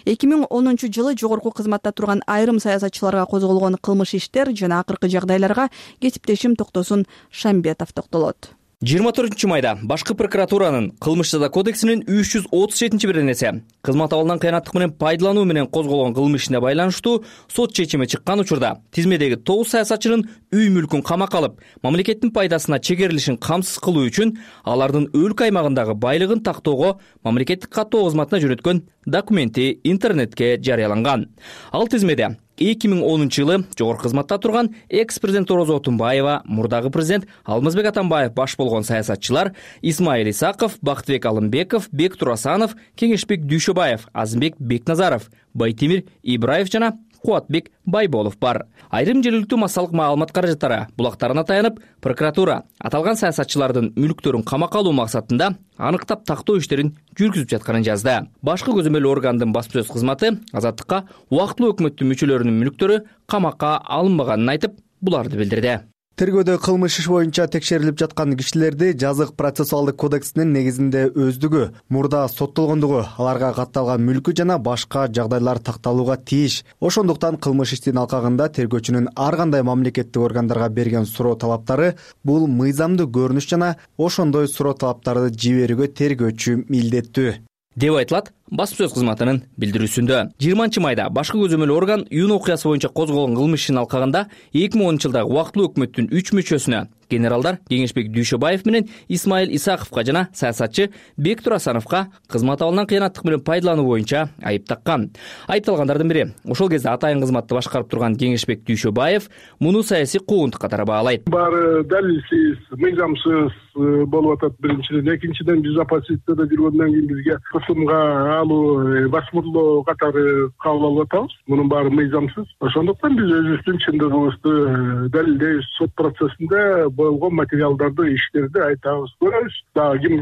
2010-жылы жогорку кызматта турган айрым саясатчыларга козголгон кылмыш иштер жана акыркы жагдайларга кесиптешим Токтосун Шамбетов токтолот. 24 майда башкы прокуратуранын кылмыш жаза кодексинин 337-беренеси кызмат абалынан кыянаттык менен пайдалануу менен козголгон кылмыш ишине байланыштуу сот чечими чыккан учурда тизмедеги 9 саясатчынын үй мүлкүн камакка алып, мамлекеттин пайдасына чегерилишин камсыз кылуу үчүн алардын өлкө аймагындагы байлыгын тактоого мамлекеттик каттоо кызматына жөнөткөн документи интернетке жарыяланган. Ал тизмеде 2010-жылы жогорку кызматта турган экс-президент Роза Отунбаева, мурдагы президент Алмазбек Атамбаев баш болгон саясатчылар Исмаил Исаков, Бактыбек Алымбеков, Бектур Асанов, Кеңешбек Дүйшөбаев, Азымбек Бекназаров, Байтемир Ибраев жана Кубатбек Байболов бар. Айрым жергиликтүү массалык маалымат каражаттары булактарына таянып, прокуратура аталган саясатчылардын мүлктөрүн камакка алуу максатында аныктап тактоо иштерин жүргүзүп жатканын жазды. Башкы көзөмөл органдын баспасөз кызматы Азаттыкка убактылуу өкмөттүн мүчөлөрүнүн мүлктөрү камакка алынбаганын айтып, буларды билдирди. Тергөөдө кылмыш иш боюнча текшерилип жаткан кишилерди жазык процессуалдык кодексинин негизинде өздүгү, мурда соттолгондугу, аларга катталган мүлкү жана башка жагдайлар такталууга тийиш. Ошондуктан кылмыш иштин алкагында тергөөчүнүн ар кандай мамлекеттик органдарга берген суроо талаптары бул мыйзамдуу көрүнүш жана ошондой суроо талаптарды жиберүүгө тергөөчү милдеттүү деп айтылат баспасөз кызматынын билдирүүсүндө. 20 майда башкы көзөмөл орган июнь окуясы боюнча козголгон кылмыш ишинин алкагында 2010-жылдагы убактылуу өкмөттүн 3 мүчөсүнө генералдар Кеңешбек Дүйшөбаев менен Исмаил Исаковго жана саясатчы Бектур Асановго кызмат абалынан кыянаттык менен пайдалануу боюнча айып таккан. Айыпталгандардын бири ошол кезде атайын кызматты башкарып турган Кеңешбек Дүйшөбаев муну саясий куугунтук катары баалайт. Баары далилсиз, мыйзамсыз болуп атат биринчиден. Экинчиден жүз оппозицияда жүргөндөн кийин бизге кысымга алуу, басмырлоо катары кабыл алып атабыз. Мунун баары мыйзамсыз. Ошондуктан биз өзүбүздүн чындыгыбызды далилдейбиз. Сот процессинде болгон материалдарды, иштерди айтабыз, көрөбүз. Дагы ким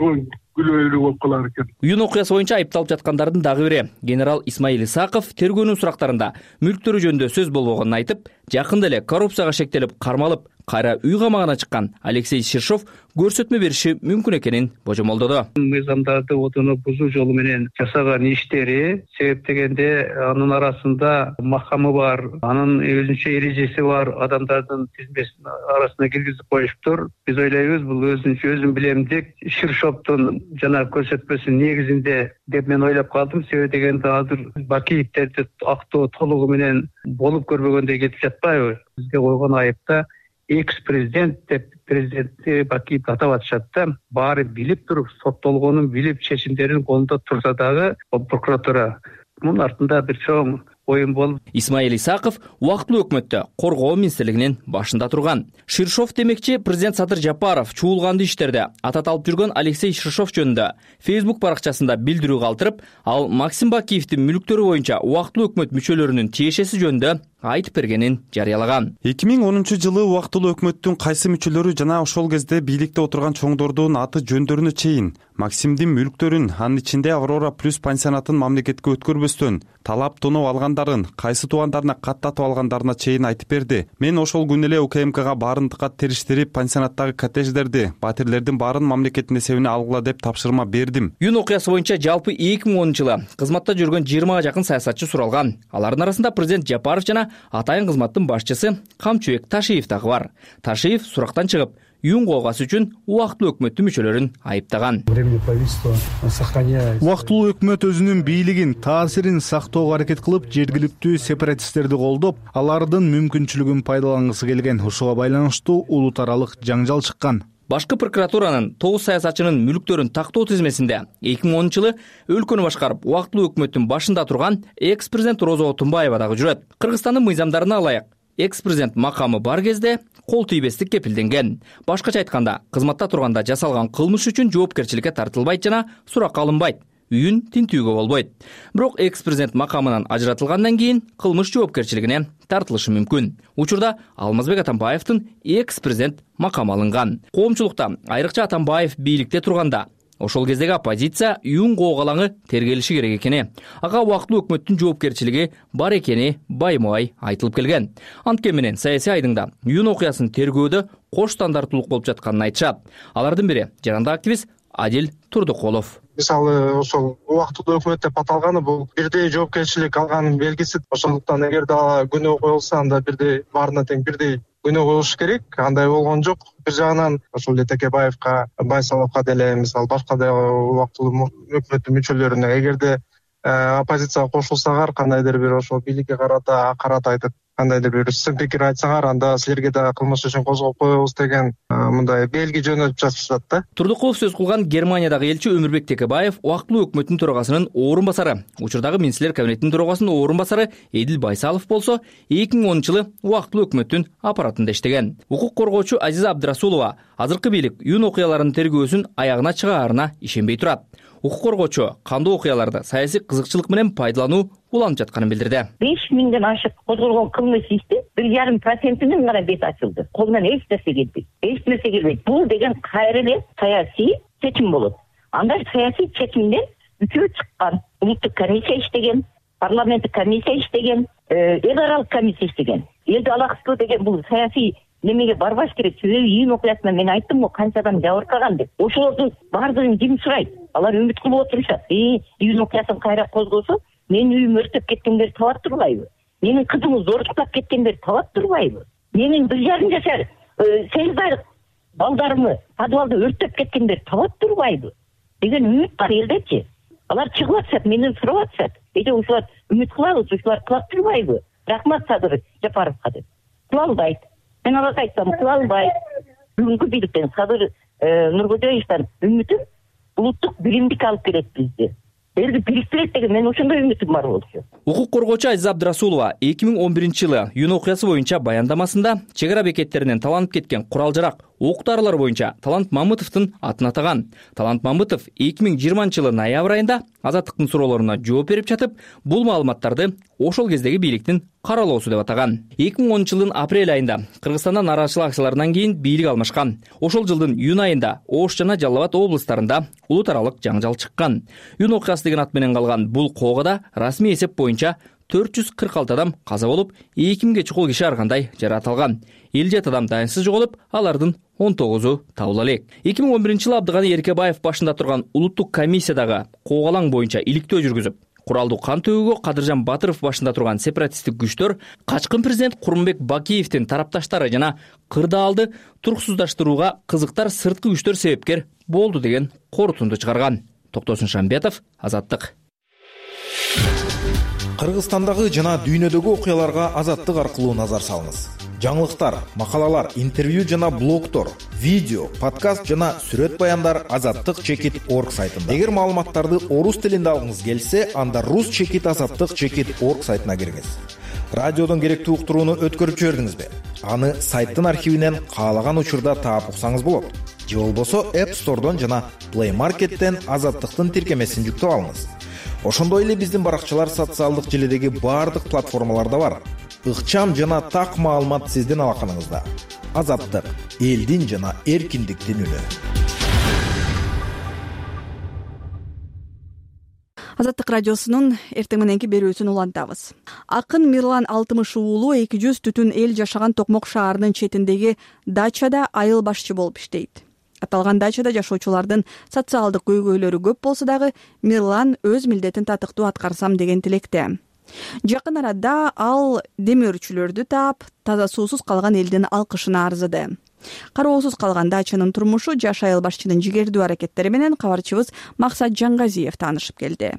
күлөөлүү болуп калар экен. Июнь окуясы боюнча айыпталып жаткандардын дагы бири генерал Исмаил Исаков тергөөнүн сурактарында мүлктөрү жөнүндө сөз болбогонун айтып, жакында эле коррупцияга шектелип кармалып, кайра үй камагына чыккан Алексей Ширшов көрсөтмө бериши мүмкүн экенин божомолдоду. Мыйзамдарды отуну бузуу жолу менен жасаган иштери себеп дегенде анын арасында макамы бар, анын өзүнчө эрежеси бар адамдардын тизмесин арасына киргизип коюштур. Биз ойлойбуз, бул өзүн билемдик Ширшовдун жана көрсөтмөсүнүн негизинде деп мен ойлоп калдым. Себеп дегенде азыр Бакиевтерди актоо толугу менен болуп көрбөгөндөй кетип жатпайбы? Бизге койгон айыпта экс президент деп президентти Бакиевди атап атышат да. Баары билип туруп, соттолгонун билип, чечимдерин колунда турса дагы прокуратура мунун артында бир чоң оюн болуп. Исмаил Исаков убактылуу өкмөттө коргоо министрлигинин башында турган. Ширшов демекчи президент Садыр Жапаров чуулганды иштерде атат алып жүргөн Алексей Ширшов жөнүндө Facebook баракчасында билдирүү калтырып, ал Максим Бакиевдин мүлктөрү боюнча убактылуу өкмөт мүчөлөрүнүн тиешеси жөнүндө айтып бергенин жарыялаган. 2010-жылы убактылуу өкмөттүн кайсы мүчөлөрү жана ошол кезде бийликте отурган чоңдордун аты жөндөрүнө чейин Максимдин мүлктөрүн, анын ичинде Аврора плюс пансионатын мамлекетке өткөрбөстөн талап тоноо алгандарын, кайсы туугандарына каттатып алгандарына чейин айтып берди. Мен ошол күнү эле УКМКга баарын териштирип, пансионаттагы коттедждерди, батирлердин баарын мамлекеттин эсебине алгыла деп тапшырма бердим. Юн окуясы боюнча жалпы 2010-жылы кызматта жүргөн 20га жакын саясатчы суралган. Алардын арасында президент Жапаров жана атайын кызматтын башчысы Камчыбек Ташиев дагы бар. Ташиев сурактан чыгып, Юн коогасы үчүн убактылуу өкмөттүн мүчөлөрүн айыптаган. Убактылуу өкмөт өзүнүн бийлигин, таасирин сактоого аракет кылып, жергиликтүү сепаратисттерди колдоп, алардын мүмкүнчүлүгүн пайдалангысы келген. Ошого байланыштуу улут аралык жаңжал чыккан. Башкы прокуратуранын 9 саясатчынын мүлктөрүн тактоо тизмесинде 2010-жылы өлкөнү башкарып, убактылуу өкмөттүн башында турган экс-президент Роза Отунбаева дагы жүрөт. Кыргызстандын мыйзамдарына ылайык, экс-президент макамы бар кезде кол тийбестик кепилденген. Башкача айтканда, кызматта турганда жасалган кылмыш үчүн жоопкерчиликке тартылбайт жана суракка алынбайт. Үйүн тинтүүгө болбойт. Бирок экс-президент макамынан ажыратылгандан кийин кылмыш жоопкерчилигине тартылышы мүмкүн. Учурда Алмазбек Атамбаевдин экс-президент макамы алынган. Коомчулукта айрыкча Атамбаев бийликте турганда ошол кездеги оппозиция Юн коогалаңы тергелиши керек экени, ага убактылуу өкмөттүн жоопкерчилиги бар экени байма-бай айтылып келген. Анткени менен саясий айдыңда Юн окуясын тергөөдө кош стандарттуулук болуп жатканын айтышат. Алардын бири жарандык активист Адил Турдукулов. Мисалы, ошол убактылуу өкмөт деп аталганы бул бирдей жоопкерчилик алганын белгиси. Ошондуктан эгерде күнөө коюлса, анда бирдей баарына тең бирдей күнөө коюлуш керек. Андай болгон жок. Бир жагынан ошол эле Текебаевка, Байсаловго деле, мисалы башка да убактылуу өкмөттүн мүчөлөрүнө эгерде оппозицияга кошулсаңар, кандайдыр бир ошол бийликке карата акарат айтып, кандайдыр бир сын пикир айтсаңар, анда силерге да кылмыш үчүн козгоп коебуз деген мындай белги жөнөтүп жатышат да. Турдукулов сөз кылган Германиядагы элчи Өмүрбек Текебаев убактылуу өкмөттүн төрагасынын орун басары, учурдагы министрлер кабинетинин төрагасынын орун басары Эдил Байсалов болсо, 2010-жылы убактылуу өкмөттүн аппаратында иштеген. Укук коргоочу Азиза Абдрасулова азыркы бийлик Юн окуяларынын тергөөсүн аягына чыгаарына ишенбей турат. Укук коргоочу кандуу окуяларды саясий кызыкчылык менен пайдалануу уланып жатканын билдирди. 5000ден ашык козголгон кылмыш иштин 1,5%-ин гана бет ачылды. Колунан эч нерсе келбейт. Эч нерсе келбейт. Бул деген кайра эле саясий чечим болот. Анда саясий чечимден үчөө чыккан. Улуттук комиссия иштеген, парламенттик комиссия иштеген, эл аралык комиссия иштеген. Элди алаксыздоо деген бул саясий немеге барбаш керек. Себеби Юн окуясында мен айттым го канча адам жабыркаган деп. Ошолордун баардыгын ким сурайт? Алар үмүт кылып отурушат. Юн окуясын кайра козгосо, менин үйүм өртөп кеткендер табат турбайбы? Менин кызымды зордуктап кеткендер табат турбайбы? Менин 1,5 жашар 8 айлык балдарымы подвалда өртөп кеткендер табат турбайбы? Деген үмүт бар элдечи. Алар чыгып атышат, менден сурап атышат. Ушулар үмүт кылабыз, ушулар кылат турбайбы? Рахмат Садыр Жапаровго деп. Кылалбайт. Мен аларга айтсам, кылалбайт. Бүгүнкү бийликтен Садыр Нуркожоевден үмүтүм улуттук биримдик алып келет бизди. Элди бириктирет деген мен ошондой үмүтүм бар болчу. Укук коргоочу Азиза Абдрасулова 2011-жылы Юн окуясы боюнча баяндамасында чек ара бекеттеринен таланып кеткен курал-жарак, ок-дарылар боюнча Талант Мамытовдун атын атаган. Талант Мамытов 2020-жылы ноябрь айында Азаттыктын суроолоруна жооп берип жатып, бул маалыматтарды ошол кездеги бийликтин каралоосу деп атаган. 2010-жылдын апрель айында Кыргызстанда нааразычылык акцияларынан кийин бийлик алмашкан. Ошол жылдын июнь айында Ош жана Жалал Абад облустарында улут аралык жаңжал чыккан. Юн окуясы деген ат менен калган бул коогада расмий эсеп боюнча 446 адам каза болуп, 2000ге чукул киши ар кандай жаратылган. 57 адам дайынсыз жоголуп, алардын 19-у табыла элек. 2011-жылы Абдыганы Эркебаев башында турган улуттук комиссиядагы коогалаң боюнча иликтөө жүргүзүп, куралдуу кан төгүүгө Кадыржан Батыров башында турган сепаратисттик күчтөр качкын президент Курманбек Бакиевдин тарапташтары жана кырдаалды туруксуздаштырууга кызыктар сырткы күчтөр себепкер болду деген корутунду чыгарган. Токтосун Шамбетов, Азаттык. Кыргызстандагы жана дүйнөдөгү окуяларга Азаттык аркылуу назар салыңыз. жаңылыктар, макалалар, интервью жана блогдор, видео, подкаст жана сүрөт баяндар azattik.org сайтында. Эгер маалыматтарды орус тилинде алгыңыз келсе, анда rus.azattik.org сайтына киргиз. Радиодон керектүү уктурууну өткөрүп жибердиңизби? Аны сайттын архивинен каалаган учурда таап уксаңыз болот. Же болбосо App Store'дон жана Play Market'тен Азаттыктын тиркемесин жүктөп алыңыз. Ошондой эле биздин баракчалар социалдык желидеги баардык платформаларда бар. Ыкчам жана так маалымат сиздин алаканыңызда. Азаттык — элдин жана эркиндиктин үнү. Азаттык радиосунун эртең мененки берүүсүн улантабыз. Акын Мирлан Алтымыш уулу 200 түтүн эл жашаган Токмок шаарынын четиндеги дачада айыл башчы болуп иштейт. Аталган дачада жашоочулардын социалдык көйгөйлөрү көп болсо дагы Мирлан өз милдетин татыктуу аткарсам деген тилекте. Жакын арада ал демөөрчүлөрдү таап, таза суусуз калган элдин алкышына арзыды. Кароосуз калган дачанын турмушу жаш айыл башчынын жигердүү аракеттери менен кабарчыбыз Максат Жаңгазиев таанышып келди.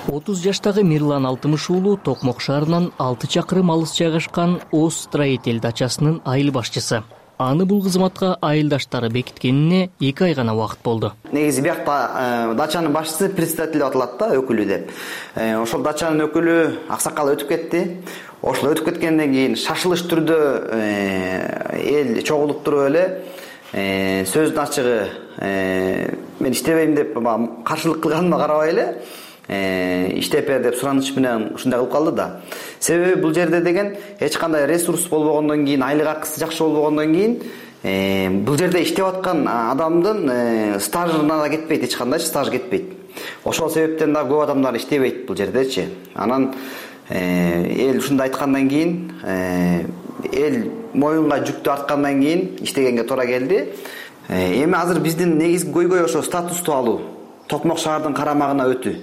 30 жаштагы Мирлан Алтымыш уулу Токмок шаарынан 6 чакырым алыс жайгашкан Оз строитель дачасынын айыл башчысы. Аны бул кызматка айылдаштары бекиткенине 2 ай гана убакыт болду. Негизи биякта дачанын башчысы председатель деп аталат да, өкүлү деп. Ошол дачанын өкүлү аксакал өтүп кетти. Ошол өтүп кеткенден кийин шашылыш түрдө эл чогулуп туруп эле сөздүн ачыгы мен иштебейм деп каршылык кылганыма карабай эле иштеп бер деп сураныч менен ушундай кылып калды да. Себеби бул жерде деген эч кандай ресурс болбогондон кийин, айлык акысы жакшы болбогондон кийин бул жерде иштеп аткан адамдын стажына да кетпейт, эч кандай стаж кетпейт. Ошол себептен да көп адамдар иштебейт бул жердечи. Анан эл ушундай айткандан кийин эл моюнга жүктү арткандан кийин иштегенге туура келди. Эми азыр биздин негизги көйгөй ошо статусту алуу, Токмок шаардын карамагына өтүү.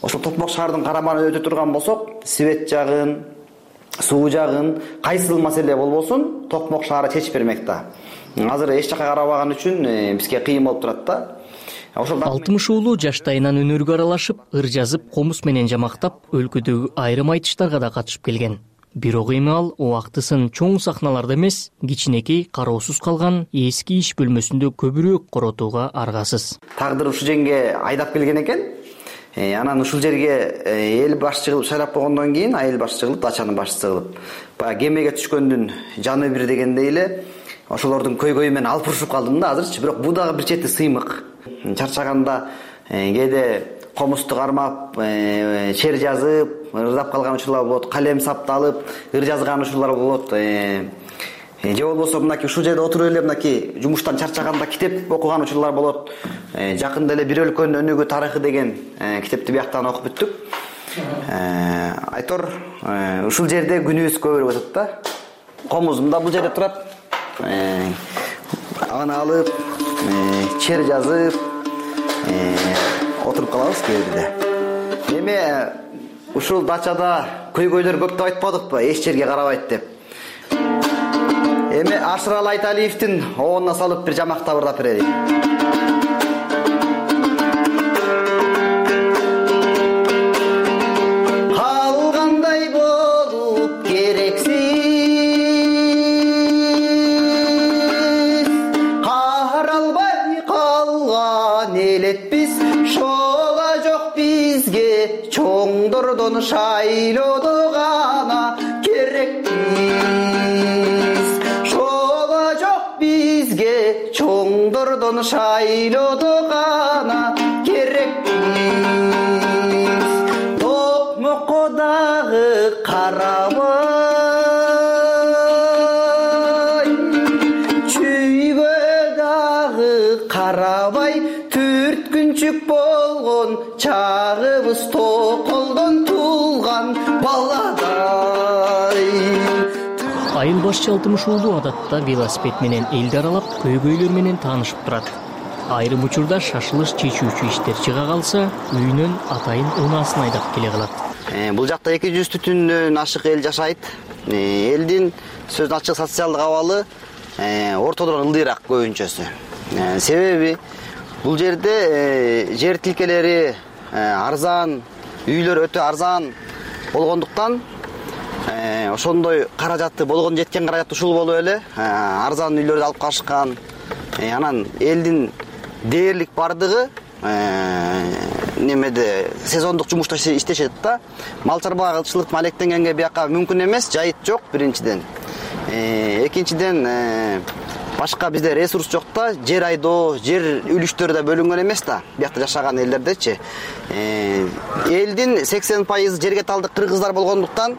Ошол Токмок шаардын карамагына өтө турган болсок, свет жагын, суу жагын, кайсыл маселе болбосун Токмок шаары чечип бермек да. Азыр эч жака карабаган үчүн бизге кыйын болуп турат да. Алтымыш уулу жаштайынан өнөргө аралашып, ыр жазып, комуз менен жамактап, өлкөдөгү айрым айтыштарга да катышып келген. Бирок эми ал убактысын чоң сахналарда эмес, кичинекей кароосуз калган эски иш бөлмөсүндө көбүрөөк коротууга аргасыз. Тагдыр ушул жерге айдап келген экен. Анан ушул жерге эл башчы кылып шайлап койгондон кийин айыл башчы кылып, дачанын башчысы кылып, баягы кемеге түшкөндүн жаны бир дегендей эле ошолордун көйгөйү менен алып урушуп калдым да азырчы. Бирок бул дагы бир чети сыймык. Чарчаганда кээде комузду кармап, чер жазып, ырдап калган учурлар болот, калем сапталып, ыр жазган учурлар болот. Же болбосо мынакей ушул жерде отуруп эле мынакей жумуштан чарчаганда китеп окуган учурлар болот. Жакында эле Бир өлкөнүн өнүгүү тарыхы деген китепти бияктан окуп бүттүк. Айтор ушул жерде күнүбүз көбүрөөк өтөт да. Комузум да бул жерде турат. Аны алып, чер жазып, отуруп калабыз кээде. Эми ушул дачада көйгөйлөр көп деп айтпадыкпы, эч жерге карабайт деп. Эми Ашырал Айталиевдин оонуна салып бир жамактап ырдап берели. Калгандай болуп керексиз, каралбай калган элетпиз, шола жок бизге чоңдордон шайлоодо гана керекпиз. Чоңдордон шайлоодо гана керекпиз. Токмокко дагы карабай, чүйгө дагы карабай, түрткүнчүк болгон чагыбыз токолдон туулган баладай. Айыл башчы Алтымыш уулу адатта велосипед менен элди аралап, көйгөйлөр менен таанышып турат. Айрым учурда шашылыш чечүүчү иштер чыга калса, үйүнөн атайын унаасын айдап келе калат. Бул жакта 200 түтүндөн ашык эл жашайт. Элдин сөздүн ачык социалдык абалы ортодон ылдыйраак көбүнчөсү. Себеби бул жерде жер тилкелери арзан, үйлөр өтө арзан, болгондуктан ошондой каражаты болгон жеткен каражат ушул болуп эле арзан үйлөрдү алып калышкан. Анан элдин дээрлик бардыгы немеде сезондук жумушта иштешет да. Мал чарба кылчылык алектенгенге бияка мүмкүн эмес, жайыт жок биринчиден. Экинчиден башка бизде ресурс жок да, жер айдоо, жер үлүштөр да бөлүнгөн эмес да, биякта жашаган элдердечи. Элдин 80% жерге талдык кыргыздар болгондуктан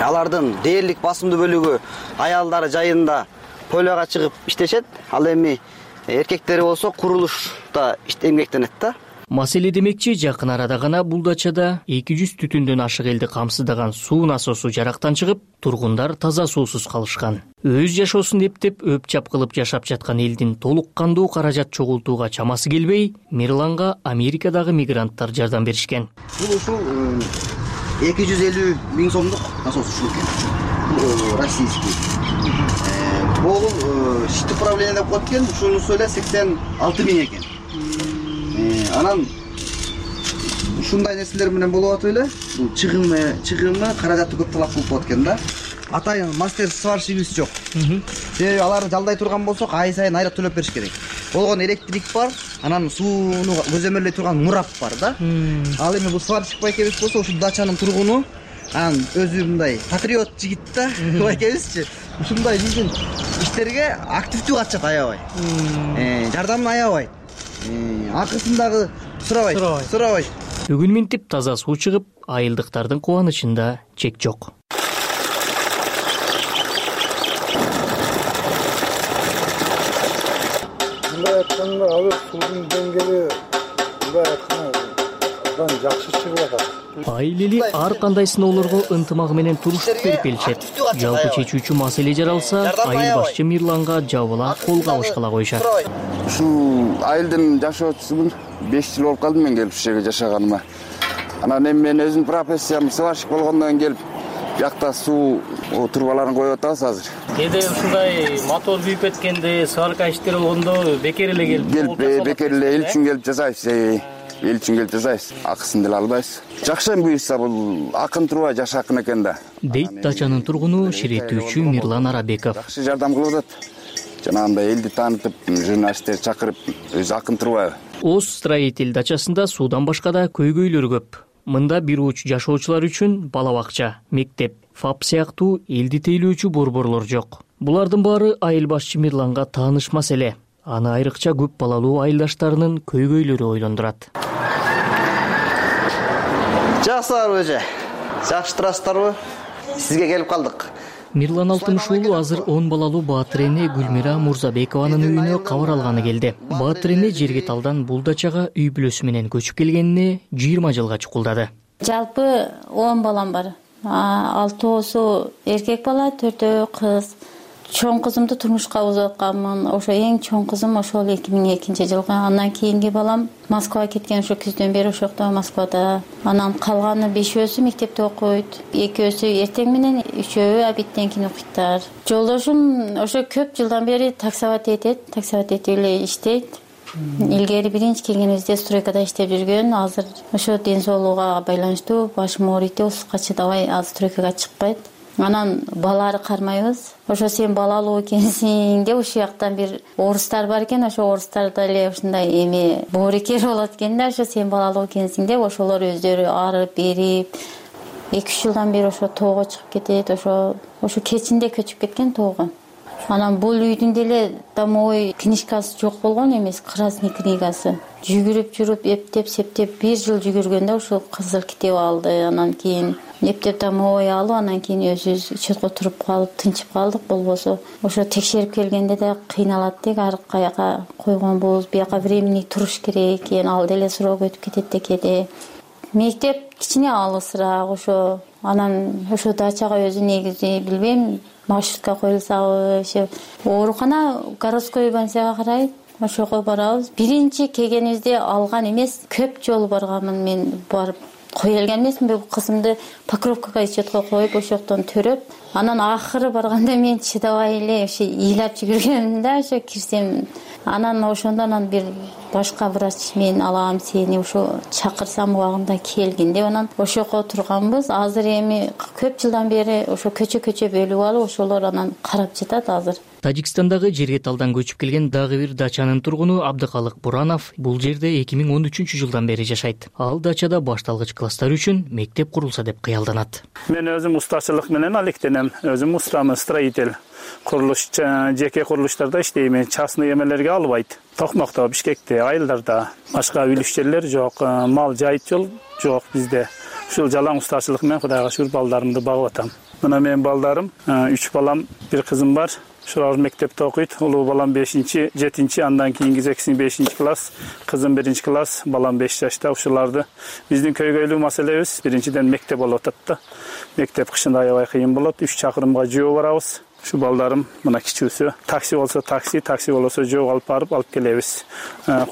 алардын дээрлик басымдуу бөлүгү аялдары жайында поляга чыгып иштешет. Ал эми эркектери болсо курулушта эмгектенет да. Маселе демекчи, жакын арада гана бул дачада 200 түтүндөн ашык элди камсыздаган суу насосу жарактан чыгып, тургундар таза суусуз калышкан. Өз жашоосун эптеп өп-чап кылып жашап жаткан элдин толук кандуу каражат чогултууга чамасы келбей, Мирланга Америкадагы мигранттар жардам беришкен. Бул ушул 250 000 сомдук насос ушул экен. Бул российский. Бул шит управление деп коет экен, ушунусу эле 86 000 экен. Анан ушундай нерселер менен болуп атып эле, бул чыгымы каражаты көп талап кылып коет экен да. Атайын мастер сварщигибиз жок. Себеби аларды жалдай турган болсок, ай сайын айрат төлөп бериш керек. Болгон электрик бар, анан сууну көзөмөлдөй турган мурап бар да. Ал эми бул сварщик байкебиз болсо, ушул дачанын тургуну, анан өзү мындай патриот жигит да, байкебизчи. Ушундай биздин иштерге активдүү катышат аябай. Жардамын аябай. Акысын дагы сурабайт. Бүгүн минтип таза суу чыгып, айылдыктардын кубанычында чек жок. Мындай айтканда, азыр суунун деңгээли мындай айтканда жакшы чыгып атат. Айылели ар кандай сыноолорго ынтымагы менен турушуп берип келишет. Жалпы чечүүчү маселе жаралса, айыл башчы Мирланга жабыла кол кабышкыла коюшат. Ушул айылдын жашоочусумун. 5 жыл болуп калды мен келип ушул жерге жашаганыма. Анан эми мен өзүм профессиям сварщик болгондон келип, биякта суу трубаларын коюп атабыз азыр. Кээде ушундай мотор күйүп кеткенде, сварка иштери болгондо бекер эле келип бекер эле эл үчүн келип жасайбыз. Эл үчүн келип жасайбыз. Акысын деле албайбыз. Жакшы буюрса бул акын труба жаш акын экен да. Дейт дачанын тургуну ширетүүчү Мирлан Арабеков. Жакшы жардам кылып атат. Жанагындай элди таанытып, журналисттер чакырып, өзү акын труба. Оз строитель дачасында суудан башка да көйгөйлөр көп. Мында бир уч жашоочулар үчүн бала бакча, мектеп, ФАП сыяктуу элди тейлөөчү борборлор жок. Булардын баары айыл башчы Мирланга тааныш маселе. Аны айрыкча көп балалуу айылдаштарынын көйгөйлөрү ойлондурат. Жакшысыздарбы эже? Жакшы турасыздарбы? Сизге келип калдык. Мирлан Алтымыш уулу азыр 10 балалуу Баатыр эне Гүлмира Мурзабекованын үйүнө кабар алганы келди. Баатыр эне жерге талдан бул дачага үй бүлөсү менен көчүп келгенине 20 жылга чукулдады. Жалпы 10 балам бар. 6 эркек бала, 4 кыз. Чоң кызымды турмушка узуп атканмын. Ошо эң чоң кызым ошол 2002 жылга. Андан кийинки балам Москвага кеткен, ошо күздөн бери ошокто Москвада. Анан калганы 5өөсү мектепте окуйт. 2өөсү эртең менен, 3өө обедтен кийин окуйттар. Жолдошум ошо көп жылдан бери таксовать этет, таксовать этип эле иштейт. Илгери биринчи келгенибизде стройкада иштеп жүргөн. Азыр ошо ден соолугуга байланыштуу башым ооруйт деп ушуга чыдабай азыр стройкага чыкпайт. Анан балары кармайбыз. Ошо сен балалуу экенсиң деп ушул жактан бир орустар бар экен, ошо орустарда эле ушундай эми боорекер болот экен да, ошо сен балалуу экенсиң деп ошолор өздөрү арып берип 2-3 жылдан бери ошо тоого чыгып кетет, ошо кечинде көчүп кеткен тоого. Анан бул үйдүн деле домовой книжкасы жок болгон эмес, красный книгасы. Жүгүрүп жүрүп, эптеп, септеп 1 жыл жүгүргөндө ошо кызыл китеп алды. Анан кийин эптеп домовой алып, анан кийин өзүбүз учетко туруп калып, тынчып калдык. Болбосо ошо текшерип келгенде да кыйналат дейт, ар каяка койгонбуз, бияка времени туруш керек экен, ал деле срок өтүп кетет да кээде. Мектеп кичине алысыраак ошо. Анан ошо дачага өзү негизи билбейм, маршрутка коюлсабы, ошо оорукана городской больницага карайт. Ошого барабыз. Биринчи келгенибизде алган эмес, көп жолу барганмын мен барып. кое алган эмесминби бул кызымды покровкага четко коюп ошол жактан төрөп, анан акыры барганда мен чыдабай эле ошо ыйлап жүгүргөм да, ошо кирсем. Анан ошондон анан бир башка врач мен алам сени ошо чакырсам убагында келгин деп анан ошого турганбыз. Азыр эми көп жылдан бери ошо көчө бөлүп алып ошолор анан карап жатат азыр. Тажикстандагы Жерге Талдан көчүп келген дагы бир дачанын тургуну Абдыкалык Буранов бул жерде 2013 жылдан бери жашайт. Ал дачада башталгыч класстар үчүн мектеп курулса деп кыялданат. Мен өзүм устачылык менен алектенем. Өзүм устамын, строитель. Курулуш, жеке курулуштарда иштейм. Частный эмелерге албайт. Токмокто, Бишкекте, Айылдарда башка үлүш жерлер жок, мал жайыт жол жок бизде. Ушул жалаң устачылык менен Кудайга шүгүр балдарымды багып атам. Мына менин балдарым, 3 балам, бир кызым бар. Ушулар мектепте окуйт. Улуу балам 5-чи, 7-чи, андан кийинки экиси 5-чи класс, кызым 1-чи класс, балам 5 жашта. Ушуларды биздин көйгөйлүү маселебиз биринчиден мектеп болуп атат да. Мектеп кышында аябай кыйын болот. 3 чакырымга жөө барабыз. Ушу балдарым мына кичүүсү, такси болсо такси, такси болсо жөө алып барып алып келебиз.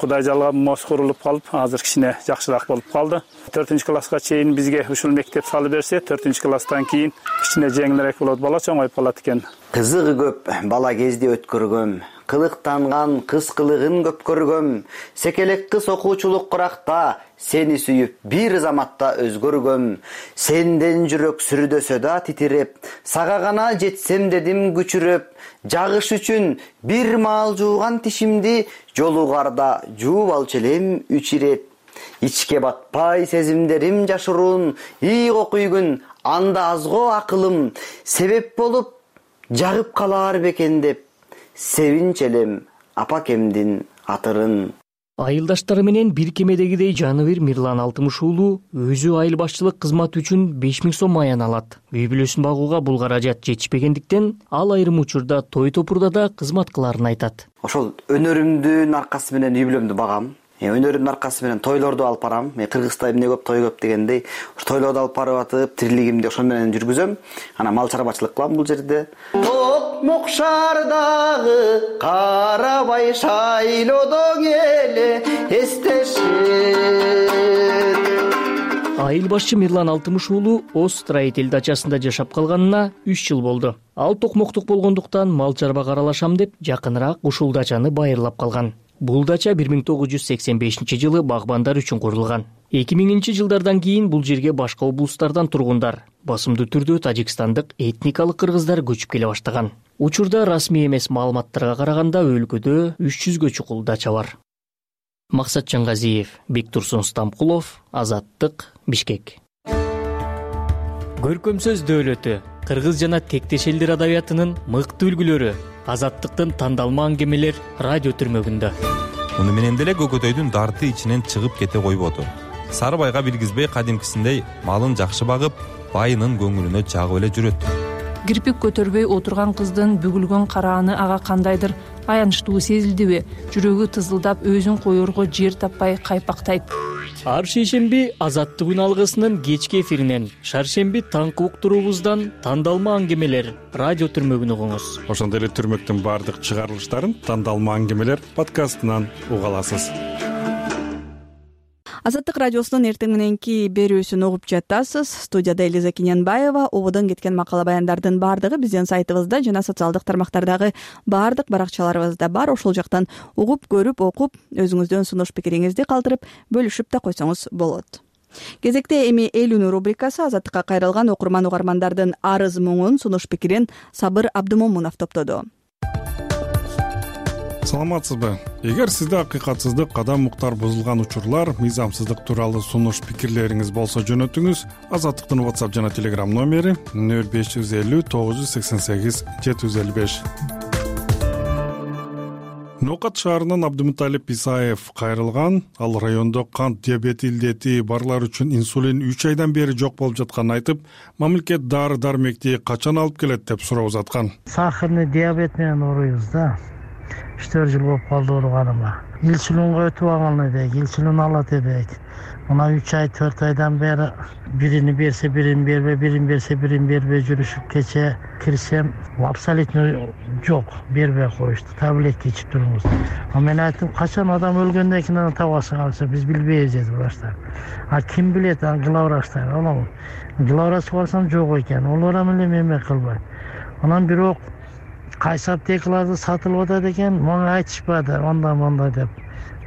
Кудай жалгап мост курулуп калып, азыр кичине жакшыраак болуп калды. 4-чи класска чейин бизге ушул мектеп салып берсе, 4-чи класстан кийин кичине жеңилирээк болот, бала чоңоюп калат экен. Кызыгы көп бала кезде өткөргөм, кылыктанган кыз кылыгын көп көргөм. Секелек кыз окуучулук куракта, сени сүйүп бир заматта өзгөргөм. Сенден жүрөк сүрдөсө да титиреп, сага гана жетсем дедим күчүрөп. Жагыш үчүн бир маал жууган тишимди, жолугарда жууп алчу элем 3 ирет. Ичке батпай сезимдерим жашыруун, ийго күйгүн, анда азго акылым, себеп болуп жагып калаар бекен деп, себинч элем апакемдин атырын. Айылдаштары менен бир кемедегидей Жаныбир Мирлан Алтымыш уулу өзү айыл башчылык кызматы үчүн 5000 сом аян алат. Үй бүлөсүн багууга бул каражат жетишпегендиктен ал айрым учурда той топурда да кызмат кылаарын айтат. Ошол өнөрүмдүн аркасы менен үй бүлөмдү багам. Өнөрүмдүн аркасы менен тойлорду алып барам. Кыргызда эмне көп, той көп дегендей, тойлорду алып барып атып, тирилигимди ошол менен жүргүзөм. Анан мал чарбачылык кылам бул жерде. Токмок шаардагы карабай шайлоодон эле эстешет. Айыл башчы Мирлан Алтымыш уулу Оз строитель дачасында жашап калганына 3 жыл болду. Ал токмоктук болгондуктан мал чарбага аралашам деп жакыныраак ушул дачаны байырлап калган. Бул дача 1985-жылы багбандар үчүн курулган. 2000-жылдардан кийин бул жерге башка облустардан тургундар, басымдуу түрдө тажикстандык этникалык кыргыздар көчүп келе баштаган. Учурда расмий эмес маалыматтарга караганда өлкөдө 300гө чукул дача бар. Максат Чангазиев, Бектурсун Стамкулов, Азаттык, Бишкек. Көркөм сөз дөөлөтү, кыргыз жана тектеш элдер адабиятынын мыкты үлгүлөрү, Азаттыктын тандалма аңгемелер радио түрмөгүндө. Муну менен деле көкөтөйдүн дарты ичинен чыгып кете койбоду. Сары байга билгизбей кадимкисиндей малын жакшы багып, байынын көңүлүнө жагып эле жүрөт. Кирпик көтөрбөй отурган кыздын бүгүлгөн карааны ага кандайдыр аянычтуу сезилдиби? Жүрөгү тызылдап өзүн коерго жер таппай кайпактайт. Ар шейшемби Азаттык күн алгысынын кечки эфиринен, шаршемби таңкы уктуруубуздан тандалма аңгемелер радио түрмөгүн угуңуз. Ошондой эле түрмөктүн баардык чыгарылыштарын тандалма аңгемелер подкастынан уга аласыз. Азаттык радиосунун эртең мененки берүүсүн угуп жатасыз. Студияда Элиза Кененбаева. Ободон кеткен макала баяндардын баардыгы биздин сайтыбызда жана социалдык тармактардагы баардык баракчаларыбызда бар. Ошол жактан угуп, көрүп, окуп, өзүңүздөн сунуш пикириңизди калтырып, бөлүшүп да койсоңуз болот. Кезекте эми эл үнү рубрикасы. Азаттыкка кайрылган окурман-угармандардын арыз муңун, сунуш пикирин Сабыр Абдымомунов топтоду. Саламатсызбы? Эгер сизде акыйкатсыздык, кадам уктар бузулган учурлар, мыйзамсыздык тууралуу сунуш пикирлериңиз болсо жөнөтүңүз. Азаттыктын WhatsApp жана Telegram номери 0550 988 755. Нокат шаарынан Абдымуталип Исаев кайрылган. Ал райондо кант диабети илдети барлар үчүн инсулин 3 айдан бери жок болуп жатканын айтып, мамлекет дары-дармекти качан алып келет деп суроо узаткан. Сахарный диабет менен ооруйбуз да. 4 жыл болуп калды ооруганыма. инсулинге өтүп алган элек, инсулин алат элек. Мына 3 ай 4 айдан бери бирини берсе бирин бербей, бирин берсе бирин бербей жүрүшүп кече кирсем абсолютно жок, бербей коюшту. Таблетка ичип туруңуз. Мен айттым, качан адам өлгөндөн кийин аны табасы калса биз билбейбиз деди врачтар. Ким билет, аны главврачтар. Анан главврачка барсам жок экен. Олар менен эме кылбайт. Анан бирок кайсы аптекаларда сатылып атат экен, мага айтышпады, анда деп.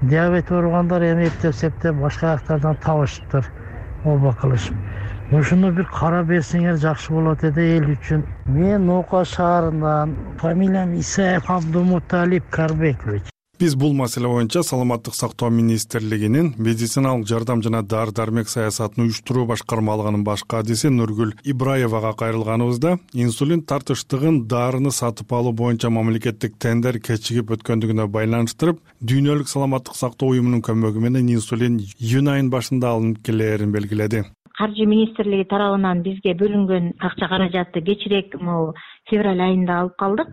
Диабет ооругандар эми эптеп башка жактардан табышыптыр. Оба кылышып. Ушуну бир карап берсеңер жакшы болот эди эл үчүн. Мен Нока шаарынан, фамилиям Исаев Абдумуталип Карбекович. Биз бул маселе боюнча Саламаттык сактоо министрлигинин медициналык жардам жана дары-дармек саясатын уюштуруу башкармалыгынын баш кадиси Нургүл Ибраевага кайрылганыбызда инсулин тартыштыгын дарыны сатып алуу боюнча мамлекеттик тендер кечигип өткөндүгүнө байланыштырып, Дүйнөлүк саламаттык сактоо уюмунун көмөгү менен инсулин июнь айынын башында алынып келээрин белгиледи. Каржы министрлиги тарабынан бизге бөлүнгөн акча каражатты кечирээк февраль айында алып калдык.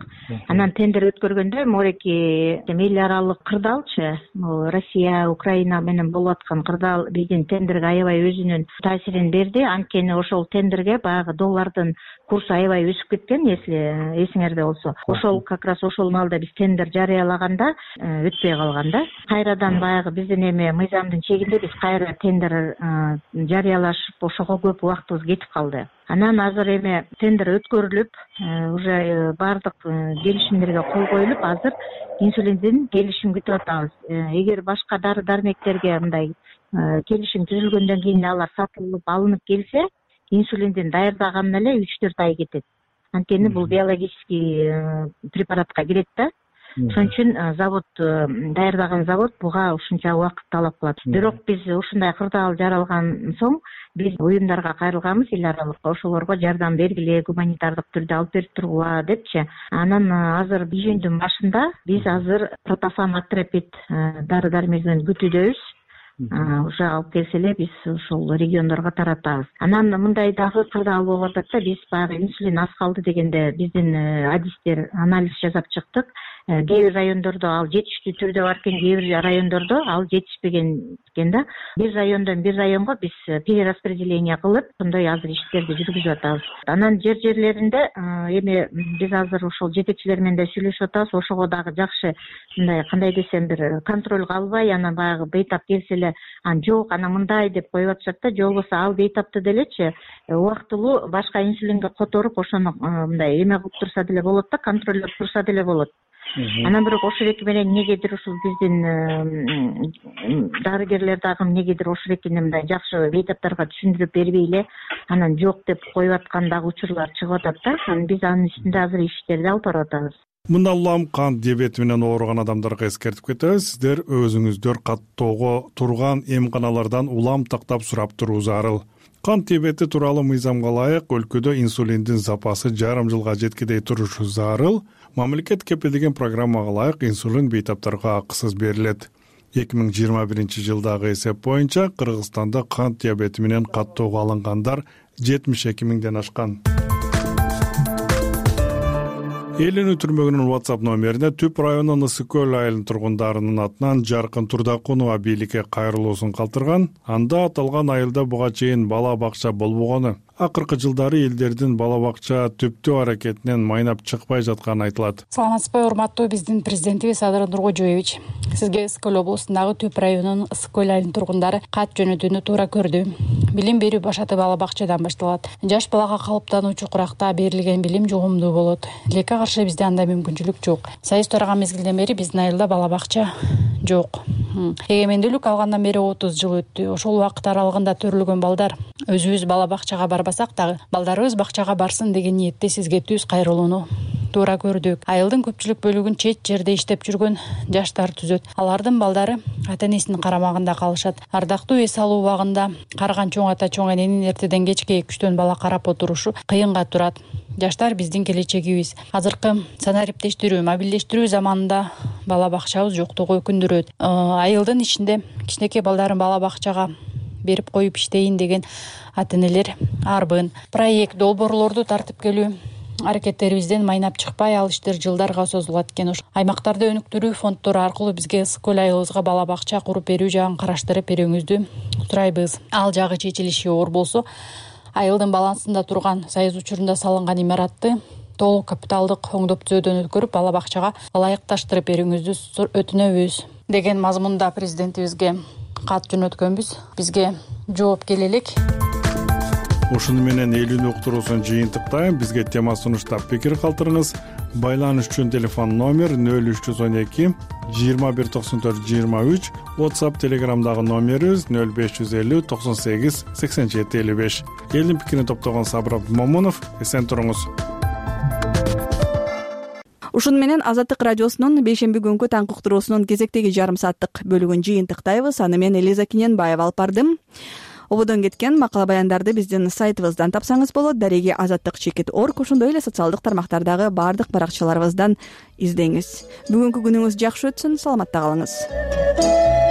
Анан тендер өткөргөндө мореки эл аралык кырдаалчы, Россия, Украина менен болуп аткан кырдаал биздин тендерге аябай өзүнүн таасирин берди. Анткени ошол тендерге баягы доллардын курсу аябай өсүп кеткен, если эсиңерде болсо. Ошол как раз ошол маалда биз тендер жарыялаганда өтпөй калган да. Кайрадан баягы биздин эми мыйзамдын чегинде биз кайра тендер жарыялашып, ошого көп убактыбыз кетип калды. Анан азыр эми тендер өткөрүлүп, уже баардык келишимдерге кол коюлуп, азыр инсулиндин келишим күтүп атабыз. Эгер башка дары-дармектерге мындай келишим түзүлгөндөн кийин алар сатылып алынып келсе, инсулиндин даярдаганына эле 3-4 ай кетет. Анткени бул биологический препаратка кирет да. Ошон үчүн завод, даярдаган завод буга ушунча убакыт талап кылат. Бирок биз ушундай кырдаал жаралган соң биз уюмдарга кайрылганбыз, эл аралык ошолорго жардам бергиле, гуманитардык түрдө алып берип тургула депчи. Анан азыр июньдун башында биз азыр протофан атрепит дары-дармегин күтүүдөбүз. Уже алып келсе эле биз ошол региондорго таратабыз. Анан мындай дагы кырдаал болуп атат да, биз баягы инсулин аз калды дегенде биздин адистер анализ жасап чыктык. Кээ бир райондордо ал жетиштүү түрдө бар экен, кээ бир райондордо ал жетишпеген экен да. Бир райондон бир районго биз перераспределение кылып, ошондой азыр иштерди жүргүзүп атабыз. Анан жерлеринде эми биз азыр ошол жетекчилер менен да сүйлөшүп атабыз. Ошого дагы жакшы мындай кандай десем бир контролго албай, анан баягы бейтап келсе эле жок, ана мындай деп коюп атышат да. Же болбосо ал бейтапты делечи убактылуу башка инсулинге которуп, ошону мындай эме кылып турса деле болот да, контролдоп турса деле болот. Анан бирок ошол менен эмнегедир ушул биздин дарыгерлер дагы эмнегедир ошол мындай жакшы бейтаптарга түшүндүрүп бербей эле анан жок деп коюп аткан дагы учурлар чыгып атат да. Анан биз анын үстүндө азыр иштерди алып барып атабыз. Мындан улам кант диабети менен ооруган адамдарга эскертип кетебиз. Сиздер өзүңүздөр каттоого турган эмканалардан улам тактап сурап туруу зарыл. Кант диабети тууралуу мыйзамга ылайык өлкөдө инсулиндин запасы жарым жылга жеткидей турушу зарыл. Мамлекет кепилдеген программага ылайык инсулин бейтаптарга акысыз берилет. 2021-жылдагы эсеп боюнча Кыргызстанда кант диабети менен каттоого алынгандар 72 миңден ашкан. Эл үнү түрмөгүнүн WhatsApp номерине Түп районунун Ысык көл айылынын тургундарынын атынан Жаркын Турдакунова бийликке кайрылуусун калтырган. Анда аталган айылда буга чейин бала бакча болбогону, акыркы жылдары элдердин бала бакча түптөө аракетинен майнап чыкпай жатканы айтылат. Саламатсызбы, урматтуу биздин президентибиз Садыр Нуркожоевич. Сизге Ысык көл облусундагы Түп районунун Ысык көл айылынын тургундары кат жөнөтүүнү туура көрдү. Билим берүү башаты бала бакчадан башталат. Жаш балага калыптануучу куракта берилген билим жугумдуу болот. Тилекке каршы бизде андай мүмкүнчүлүк жок. Союз тараган мезгилден бери биздин айылда бала бакча жок. Эгемендүүлүк алгандан бери 30 жыл өттү. Ошол убакыт аралыгында төрөлгөн балдар өзүбүз бала бакчага барбасак дагы балдарыбыз бакчага барсын деген ниетте сизге түз кайрылууну туура көрдүк. Айылдын көпчүлүк бөлүгүн чет жерде иштеп жүргөн жаштар түзөт. Алардын балдары ата-энесинин карамагында калышат. Ардактуу эс алуу убагында карыган чоң ата чоң эненин эртеден кечке күчтөн бала карап отурушу кыйынга турат. Жаштар биздин келечегибиз. Азыркы санариптештирүү, мобилдештирүү заманында бала бакчабыз жоктугу өкүндүрөт. Айылдын ичинде кичинекей балдарын бала бакчага берип коюп иштейин деген ата-энелер арбын. Проект долбоорлорду тартып келүү, аракеттерибизден майнап чыкпай ал иштер жылдарга созулат экен. Аймактарда өнүктүрүү фонддору аркылуу бизге скөл айылыбызга бала бакча куруп берүү жагын караштырып берүүңүздү сурайбыз. Ал жагы чечилиши оор болсо, айылдын балансында турган союз учурунда салынган имаратты толук капиталдык оңдоп түзөөдөн өткөрүп, бала бакчага ылайыкташтырып берүүңүздү өтүнөбүз деген мазмунда президентибизге кат жөнөткөнбүз. Бизге жооп келе элек. Ушуну менен элүүнү уктуруусун жыйынтыктайм. Бизге тема сунуштап пикир калтырыңыз. Байланыш үчүн телефон номер 0312 2194 23, WhatsApp, Telegramдагы номерибиз 0550 98 87 55. Элдин пикирин топтогон Сабыр Абдымомунов. Эсен туруңуз. Ушуну менен Азаттык радиосунун бейшемби күнкү таңкы уктуруусунун кезектеги жарым сааттык бөлүгүн жыйынтыктайбыз. Аны мен Элиза Киненбаева алып бардым. Ободон кеткен макала баяндарды биздин сайтыбыздан тапсаңыз болот. Дареги azattik.org, ошондой эле социалдык тармактардагы баардык баракчаларыбыздан издеңиз. Бүгүнкү күнүңүз жакшы өтсүн, саламатта калыңыз.